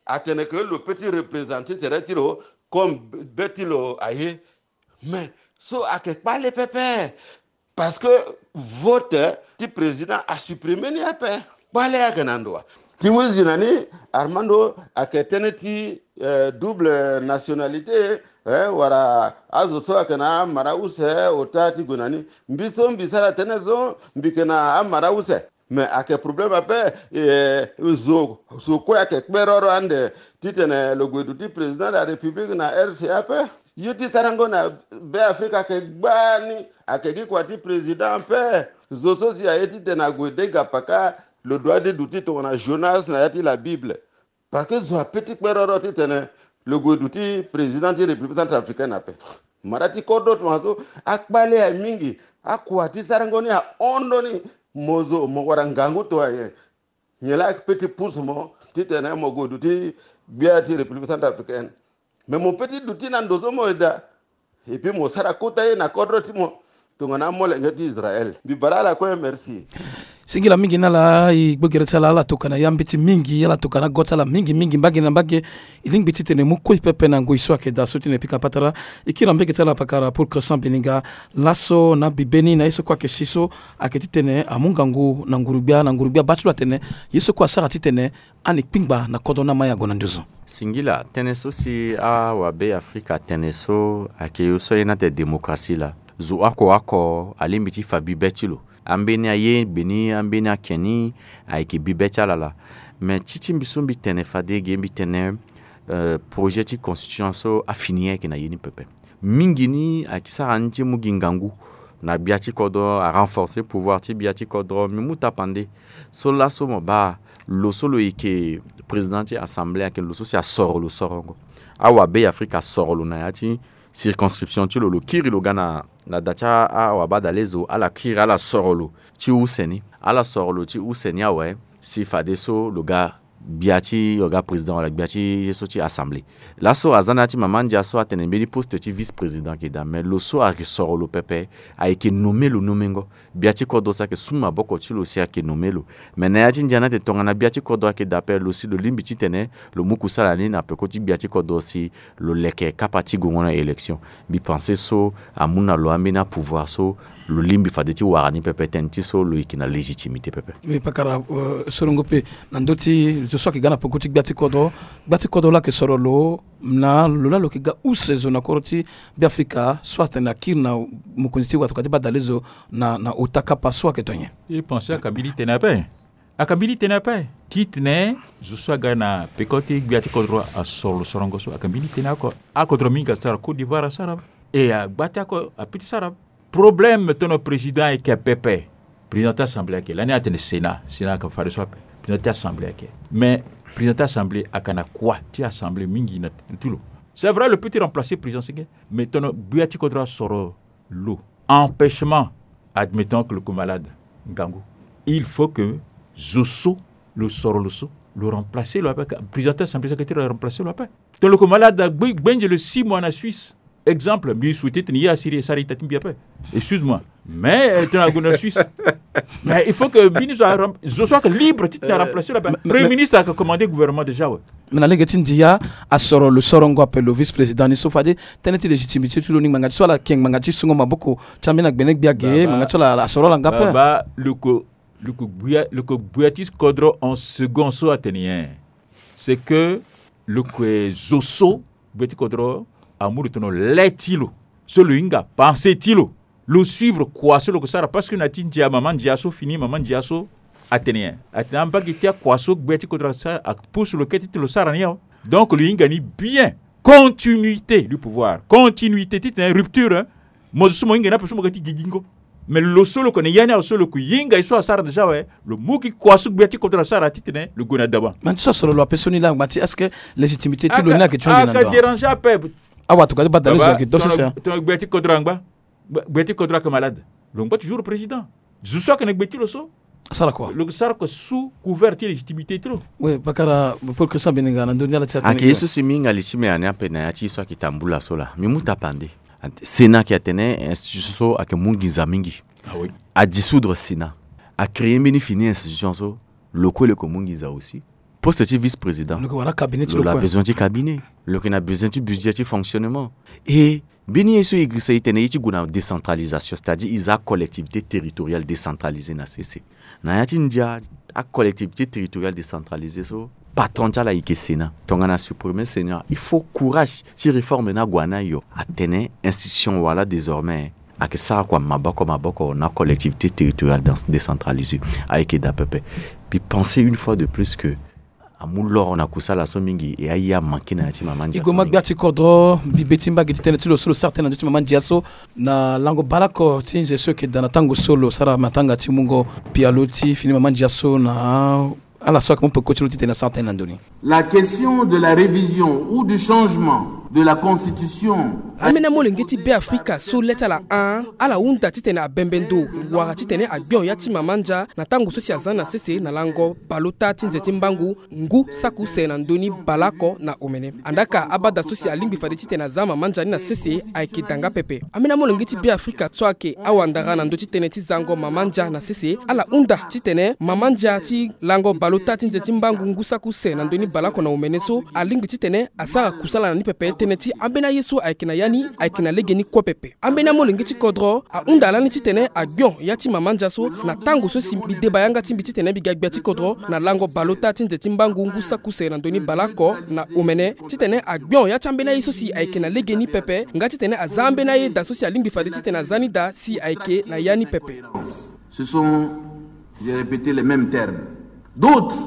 Atene ke lo pe ti représenter tere ti lo comme be ti lo aye. Mais so ayeke kpale pepe, parce que vote ti président asupprimer ni ape. Kpale ayeke na ndo wa? Ti huzi na ni, Armando, ayeke tënë ti eh, double nationalité, eh, wala azo so ayeke na amara use ota ti gue na ni. Mbi so mbi sara tënë so, mbi yeke na amara use. Mais ayeke problème ape, eh, zo, zo kue ayeke kperoro ande titene lo gue duti président de la République na R C A ape. Ye ti sarango na Be Afrika ayeke gbani, ayeke gi kua ti président ape. Zo so si aye titene ague dega paka, lo doit ti duti tongana Jonas na ya ti la Bible. Parce que zo ape ti kperoro titene lo gue duti président ti République centrafricaine ape. Mara ti kodro tongaso akpale aye mingi. Akua ti sarango ni ahon ndoni. Mo zo mo wara ngangu to aye. Nyen laa ape ti pousse mo titene mo gue duti gbia ti République centrafricaine. Mais mo pe ti duti na ndo so mo yeda. Et puis mo sara kota ye na kodro ti mo tongana amolenge ti Israël. Mbi bara ala kue, merci. Singila mingi na ala, e gbo gere ti ala, ala tokua na ya mbeti mingi, ala tokua na go ti ala mingi mingi, mbage na mbage. E lingbi titene e mu kue pepe na ngoi so ayeke daa so titene e pika patara. E kiri na mbage ti ala pakara Paul Crescent Beninga. Laso na bibe ni na ye so kue ayeke si so, ayeke titene amu ngangu na nguru-gbia, na nguru-gbia baa ti lo atene ye so kue asara titene ani kpingba na kodro ni amai ague na nduzu. Singila, tënë so si awabe Afrika atene so ayeke ye so aye ni atene démocratie laa. Zo oko oko alingbi ti fa bibe ti lo. Ambeni aye gbe ni, ambeni ake ni, ayeke bibe ti ala laa. Me ti ti mbi so mbi tene fade ge mbi tene, eh, projet ti constitution so afini ayeke na ye ni pepe. Mingi ni ayeke sara ni ti mu gi ngangu na gbia ti kodro, arenforcer pouvoir ti gbia ti kodro. Mbi mu tapande so laso mo baa lo so lo yeke président ti assemblée ayeke lo so si asoro lo sorongo. Awabe Afrika asoro lo na ya ti circonscription ti lo, lo kiri lo ga na, na da ti a, awabadalezo, ala kiri ala soro lo ti use ni. Ala soro lo ti use ni awe, si fadeso lo ga gbia ti, lo ga président wala gbia ti ye so ti assemblée. Laso aza na ya ti mama ndia so atene mbeni poste ti vice-président ayeke daa, me lo so ayeke soro lo pepe ayeke nommé lo nommengo. Gbia ti kodro si ayeke su maboko ti lo si ayeke nommé lo. Me na ya ti ndia ni atene tongana gbia ti kodro ayeke daa ape, lo si lo lingbi titene lo mu kusala ni na peko ti gbia ti kodro si lo leke kapa ti gongo na élection. Mbi pense so amu na lo ambeni apouvoir so lo lingbi fade ti wara ni pepe, tënë ti so lo yeke na légitimité pepe. Oui, pakara, euh, sorongo pe na ndö ti zo so ayeke ga na peko ti gbia ti kodro. Gbia ti kodro laa ayeke soro lo na lo laa lo yeke ga use zo na kodro ti Be Afrika so atene akiri na mokonzi ti watokua ti badalezo na, na ota kapa so ayeke to nyen? E pense aka mbeni tene ape. Aka mbeni tene ape. Titene zo so aga na peko ti gbia ti kodro asoro lo sorongo so, aka mbeni tene oko. Akodro mingi asara, Côte d'Ivoire asara. E agba ti ako ape ti sara. Problème tongana président ayeke pepe. Président ti assemblée ayeke, lani atene Sénat, Sénat ayeke fadeso ape. Président ti assemblée ayeke. Mais président ti assemblée ayeke na kua ti assemblée mingi na ti lo. C'est vrai, lo peut ti remplacer président senge, mais tongana gbia ti kodro asoro lo. Empêchement, admettons que lo yeke malade, ngangu. Il faut que zo so lo soro lo so, lo remplacer lo ape, président ti assemblée so ayeke ti remplacer lo ape. Tongana lo yeke malade, gbe, gbenze lo six mois na Suisse. Exemple, mbi souhaite titene ye asiri e sara ita ti mbi ape. Excuse-moi. Mais, euh, tongana ague na Suisse. Mais il faut que mbi ni zo a rem-, zo so ayeke libre titene a remplacer lo ape. Premier ministre ayeke commander gouvernement déjà awe. Me na lege ti ndia, asoro lo sorongo ape lo vice-président ni so fade tënë ti légitimité ti lo ni ngbanga ti so ala yeke ngbanga ti sungo maboko ti ambeni agbene gbia ge, ngbanga ti so ala, ala soro ala nga ape. Baba, lo yeke, lo yeke gbia, lo yeke gbia ti kodro en second so atene nyen? C'est que lo yeke zo so gbia ti kodro amu lo tongana le ti lo, so lo hinga pensée ti lo. Lo suivre kua so lo yeke sara, parce que na ti ndia, mama ndia so fini, mama ndia so atene nyen? Atene ambage ti akua so gbia ti kodro asara, apousse lo kete ti lo sara ni awe. Donc lo hinga ni bien. Continuité du pouvoir, continuité titene rupture, hein. Mo zo so mo hinga ni ape so mo ga ti gigi ngo. Mais lo so lo ko na ya ni awe so lo ko hinga ye so asara déjà awe, lo mu gi kua so gbia ti kodro asara titene lo gue na dawa. Mais ti so asoro lo ape so ni la ngba ti est-ce que légitimité ti lo ni ayeke ti hon gi na ndo? Déranger ape. Awa tokua ti bada lo zo ayeke do sese. Tongana gbia ti kodro angba, gbia ti kodro ayeke malade, lo ngba toujours président. Zo so ayeke na gbe ti lo so asara kua, lo sara kua sous couvert ti légitimité ti lo. Oui, bakara pour Christian Beninga na ndö ni ala ti atene. Ayeke ye so si mbi hinga li ti mbi ani ape na ya ti ye so ayeke tambula so laa. Mbi mu tapande. Sénat ayeke atene institution so ayeke mu nginza mingi. Ah oui. Adissoudre Sénat, acréer mbeni fini institution so, lo kue lo yeke mu nginza aussi. Poste ti vice-président, lo yeke wara cabinet ti lo, lo na besoin ti cabinet. Lo yeke na besoin ti budget ti fonctionnement. E mbeni ye so e girisa e tene ye ti gue na décentralisation, c'est-à-dire e za acollectivité territoriale décentralisée na sese. Na ya ti ndia, acollectivité territoriale décentralisée so, patron ti ala e yeke Sénat. Tongana supprimer Sénat, il faut courage ti réforme ni ague na yo. Atene institution wala désormais ayeke sara kua maboko maboko na collectivité territoriale dans- décentralisée. Ayeke daa pepe. Mbi pense une fois de plus que amu loro na kusala so mingi, e aye amanke na ya ti mama ndia so mingi. E gue ma gbia ti kodro, mbi be ti mbage ti tënë ti lo so lo sara tënë na ndö ti mama ndia so na lango baleoko ti nze so e yeke daa na tango so lo sara matanga ti mungo pialo ti fini mama ndia so na ala so ayeke mu peko ti lo titene asara tënë na ndö ni. La question de la révision ou du changement de la constitution. Ambeni amolenge ti Beafrika so le ti ala hon, ala hunda titene abembe ndo wala titene agbion ya ti mama ndia na tango so si aza na sese na lango baleota ti nze ti mbangu ngu saki use na ndö ni baleoko na omene. Andaa ka abada so si alingbi fade titene aza mama ndia ni na sese ayeke daa nga pepe. Ambeni amolenge ti Beafrika so ayeke awandara na ndö ti tënë ti zango mama ndia na sese, ala hunda titene mama ndia ti lango baleota ti nze ti mbangu ngu saki use na ndö ni baleoko na omene so alingbi titene asara kusala na ni pepe. Tënë ti ambeni aye so ayeke na ya ni ayeke na lege ni kue pepe. Ambeni amolenge ti kodro ahunda lani titene agbion ya ti mama ndia so na tango so si mbi deba yanga ti mbi titene mbi ga gbia ti kodro na lango baleota ti nze ti mbangu ngu saki use na ndö ni baleoko na omene, titene agbion ya ti ambeni aye so si ayeke na lege ni pepe nga titene aza ambeni aye daa so si alingbi fade titene aza ni daa si ayeke na ya ni pepe. Ce sont, j'ai répété les mêmes termes. D'autres,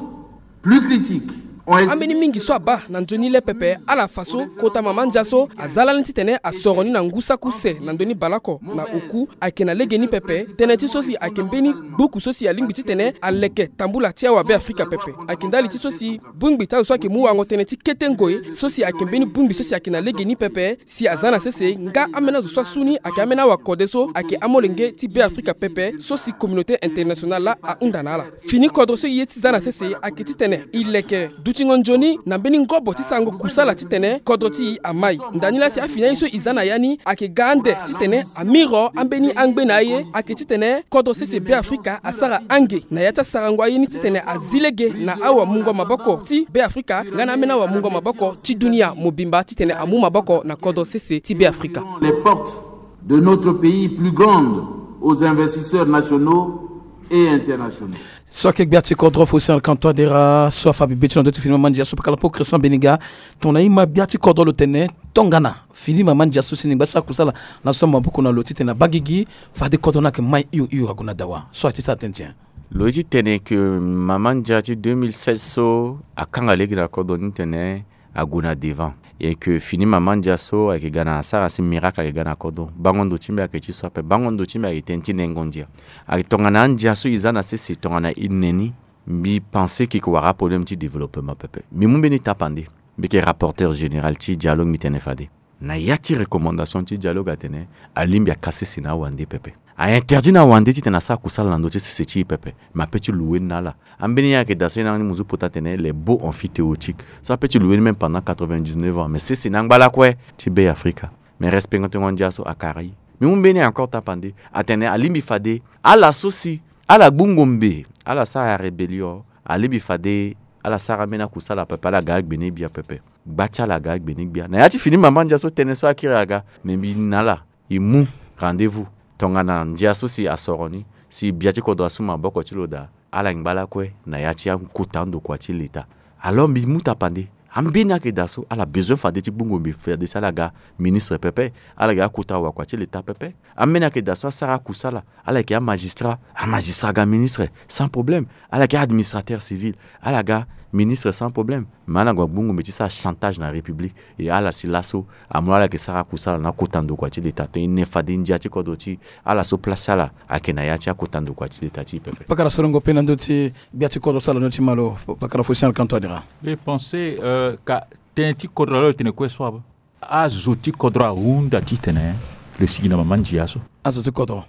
plus critiques, ont estimé... Ambeni mingi so abaa na nzoni le pepe, ala fa so kota mama ndia so aza lani titene asoro ni na ngu saki use na ndö ni baleoko na oku ayeke na lege ni pepe. Tënë ti so si ayeke mbeni buku so si alingbi titene aleke tambula ti awabe Afrika pepe. Ayeke ndali ti so si bongbi ti azo so ayeke mu wango tënë ti kete ngoi so si ayeke mbeni bongbi so si ayeke na lege ni pepe si aza na sese nga ambeni azo so asu ni ayeke ambeni awakode so ayeke amolenge ti Beafrika pepe so si communauté internationale laa ahunda na ala. Fini kodro so e ye ti za na sese ayeke titene e leke dutingo nzoni na mbeni ngobo ti sarango kusala titene kodro ti e amai. Ndani laa si afini aye so e za na ya ni ayeke ga ande titene amiro ambeni angbe na aye ayeke titene kodro sese Beafrika asara ange na ya ti asarango aye ni titene azi lege na awamungo maboko ti Beafrika nga na ambeni awamungo maboko ti dunia mobimba titene amu maboko na kodro sese ti Beafrika. Les portes de notre pays plus grandes aux investisseurs nationaux et internationaux. So ayeke gbia ti kodro Faustin Archange Touadéra so afa bibe ti lo na ndö ti fini mama ndia so, pakala po Christian Beninga, tongana e ma gbia ti kodro lo tene tongana fini mama ndia so si ni ngba ti sara kusala na so maboko na lo titene abaa gigi, fade kodro ni ayeke mai hio hio ague na dawa. So aye ti sara tënë ti nyen? Lo ye ti tene ke mama ndia ti deux mille seize so akanga lege na kodro ni tene ague na devant. E ke fini mama ndia so ayeke ga na asara si miracle ayeke ga na kodro. Bango ndo ti mbi ayeke ti so ape. Bango ndo ti mbi ayeke tënë ti nengo ndia. Ayeke tongana andia so e za na sese tongana e ne ni, mbi pense ke e ke wara problème ti développement pepe. Mbi mu mbeni tapande. Mbi yeke rapporteur général ti dialogue, mbi tene fade na ya ti recommandation ti dialogue atene alingbi akase sese na awande pepe. A interdit na awande titene asara kusala na ndö ti sese ti e pepe. Mais ape ti loue ni na ala. Ambeni ye ayeke daa so ye na ni mo zo pota atene les baux emphytéotiques. So ape ti loue ni même pendant quatre-vingt-dix-neuf ans. Mais sese ni angba lakue ti Beafrika. Mais respectengo ndia so akara e. Mbi mu mbeni encore tapande atene alingbi fade ala so si ala gbu ngombe, ala sara rébellion, alingbi fade ala sara ambeni akusala pepe, ala ga agbene gbia pepe. Gba ti ala aga agbene gbia. Na ya ti fini mama ndia so tënë so akiri aga. Mais mbi na ala, e mu rendez-vous tongana ndia so si asoro ni, si gbia ti kodro asu maboko ti lo daa, ala ngba lakue na ya ti akota ndokua ti leta. Alors mbi mu tapande, ambeni ayeke daa so ala besoin fade ti gbu ngombe fade si ala ga ministre pepe, ala ga akota wakua ti leta pepe. Ambeni ayeke daa so asara akusala, ala yeke amagistrat, amagistrat aga ministre sans problème. Ala yeke administrateur civil, ala ga Ministre sans problème, mais ala gue agbungu mbi ti sara chantage na république. E ala si laso amu ala yeke sara kusala na kota ndokua ti leta tënë e ne fade ndia ti kodro ti ala so place ti ala ayeke na ya ti akota ndokua ti leta ti e pepe. Pakara sorongo pe na ndö ti gbia ti kodro so ala no ti malo, pakara Faustin Archange Touadéra. Mbi pense ka tënë ti kodro ala lo tene kue so aba. Azo ti kodro ahunda titene lo sigi na mama ndia so. Azo ti kodro.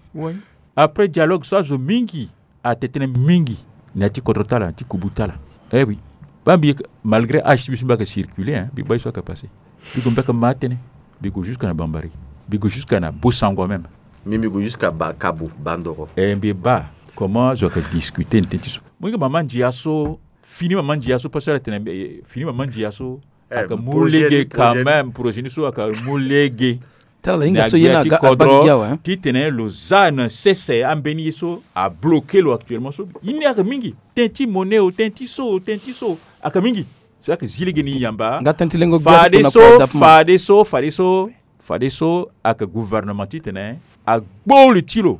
Après dialogue so azo mingi ate tënë mingi na ya ti kodro ti ala, na ya ti kubu ti ala. Eh oui. Baa mbi yeke, malgré âge ti mbi so mbi yeke circuler, hein, mbi baa ye so ayeke passé. Mbi gue mbi yeke ma tënë. Mbi gue jusqu'à na Bambari. Mbi gue jusqu'à na Bossangoa même. Mbi mbi gue jusqu'à ba Kabu, Bandoro. Eh, mbi baa comment zo yeke discuter na tënë ti so. Mo hinga mama ndia so, fini mama ndia so, parce que ala tene, eh, fini mama ndia so. Eh, ayeke mu projet lege ni, quand projet ni. Même, projet ni so ayeke mu lege. Tala la hinga na so ye gbia na ti aga-, kodro, abagi gi awe, hein. Titene lo za na sese ambeni ye so abloqué lo actuellement so. Ye ni ayeke mingi. Tënë ti monnaie o, tënë ti so o, tënë ti so o, ayeke mingi. So ayeke zi lege ni yamba. Nga tënë ti lengo gbia ti kota na kua dape mo. Fade so, fade so, fade so, fade so ayeke gouvernement titene agbo li ti lo.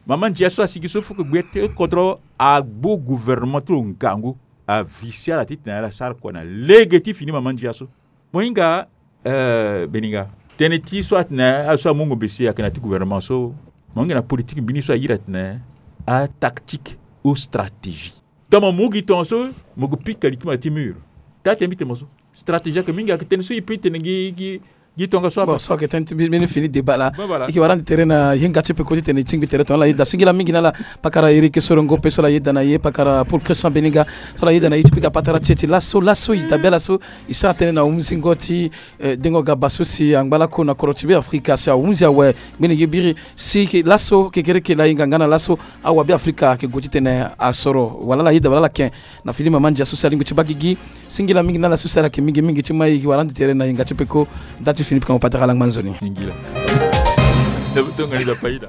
Mama ndia so asigi so, faut que gbia ti kodro agbo gouvernement ti lo ngangu. Avisi ala titene ala sara kua na lege ti fini mama ndia so. Mo hinga, eh, Beninga. Tënë ti so atene azo so amungo bese ayeke na ya ti gouvernement so. Mo hinga na politique mbeni so ayiri atene atactique ou stratégie. Tongana mo mu gi tongaso, mo gue pika li ti mo na ya ti mur. Taa tene mbi tene mo so. Stratégie ayeke mingi, ayeke tënë so e peut tene gi, gi, gi tongaso aba. Bon, so ayeke tënë ti mbi, mbi ni fini débat laa. Bon, voilà. E yeke wara ande tere na ye nga ti peko titene e tingbi tere tongana ala yeda. Singila mingi na ala pakara Eric Sorongo pe so ala yeda na ye, pakara Paul Christian Beninga so ala yeda na ye ti pika patara ti e ti laso, laso e dabe ala so e sara tënë na hunzingo ti, eh, dengo gaba so si angba lako na kodro ti Beafrika si ahunzi awe. Ngbene ye biri si ke laso kekereke laa e hinga nga na laso awabe Afrika ayeke gue titene asoro wala ala yeda wala ala ken na fini mama ndia so si alingbi ti baa gigi. Singila mingi na ala so si ala yeke mingi mingi ti mai wara ande tere na yenga ti peko. Nda ti fini pika mo patara ala ngba nzoni. Singila. Tongana ida paida.